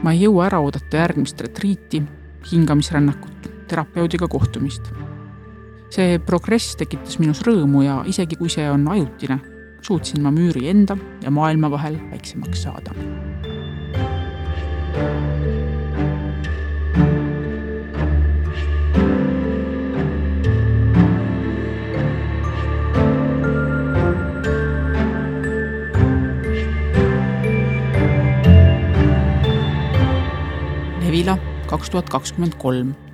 Ma ei jõua ära oodata järgmist retriiti, hingamisrännakut, terapeudiga kohtumist. See progress tekitas minus rõõmu ja isegi kui see on ajutine, suutsin ma müüri enda ja maailma vahel väiksemaks saada. Levila 2023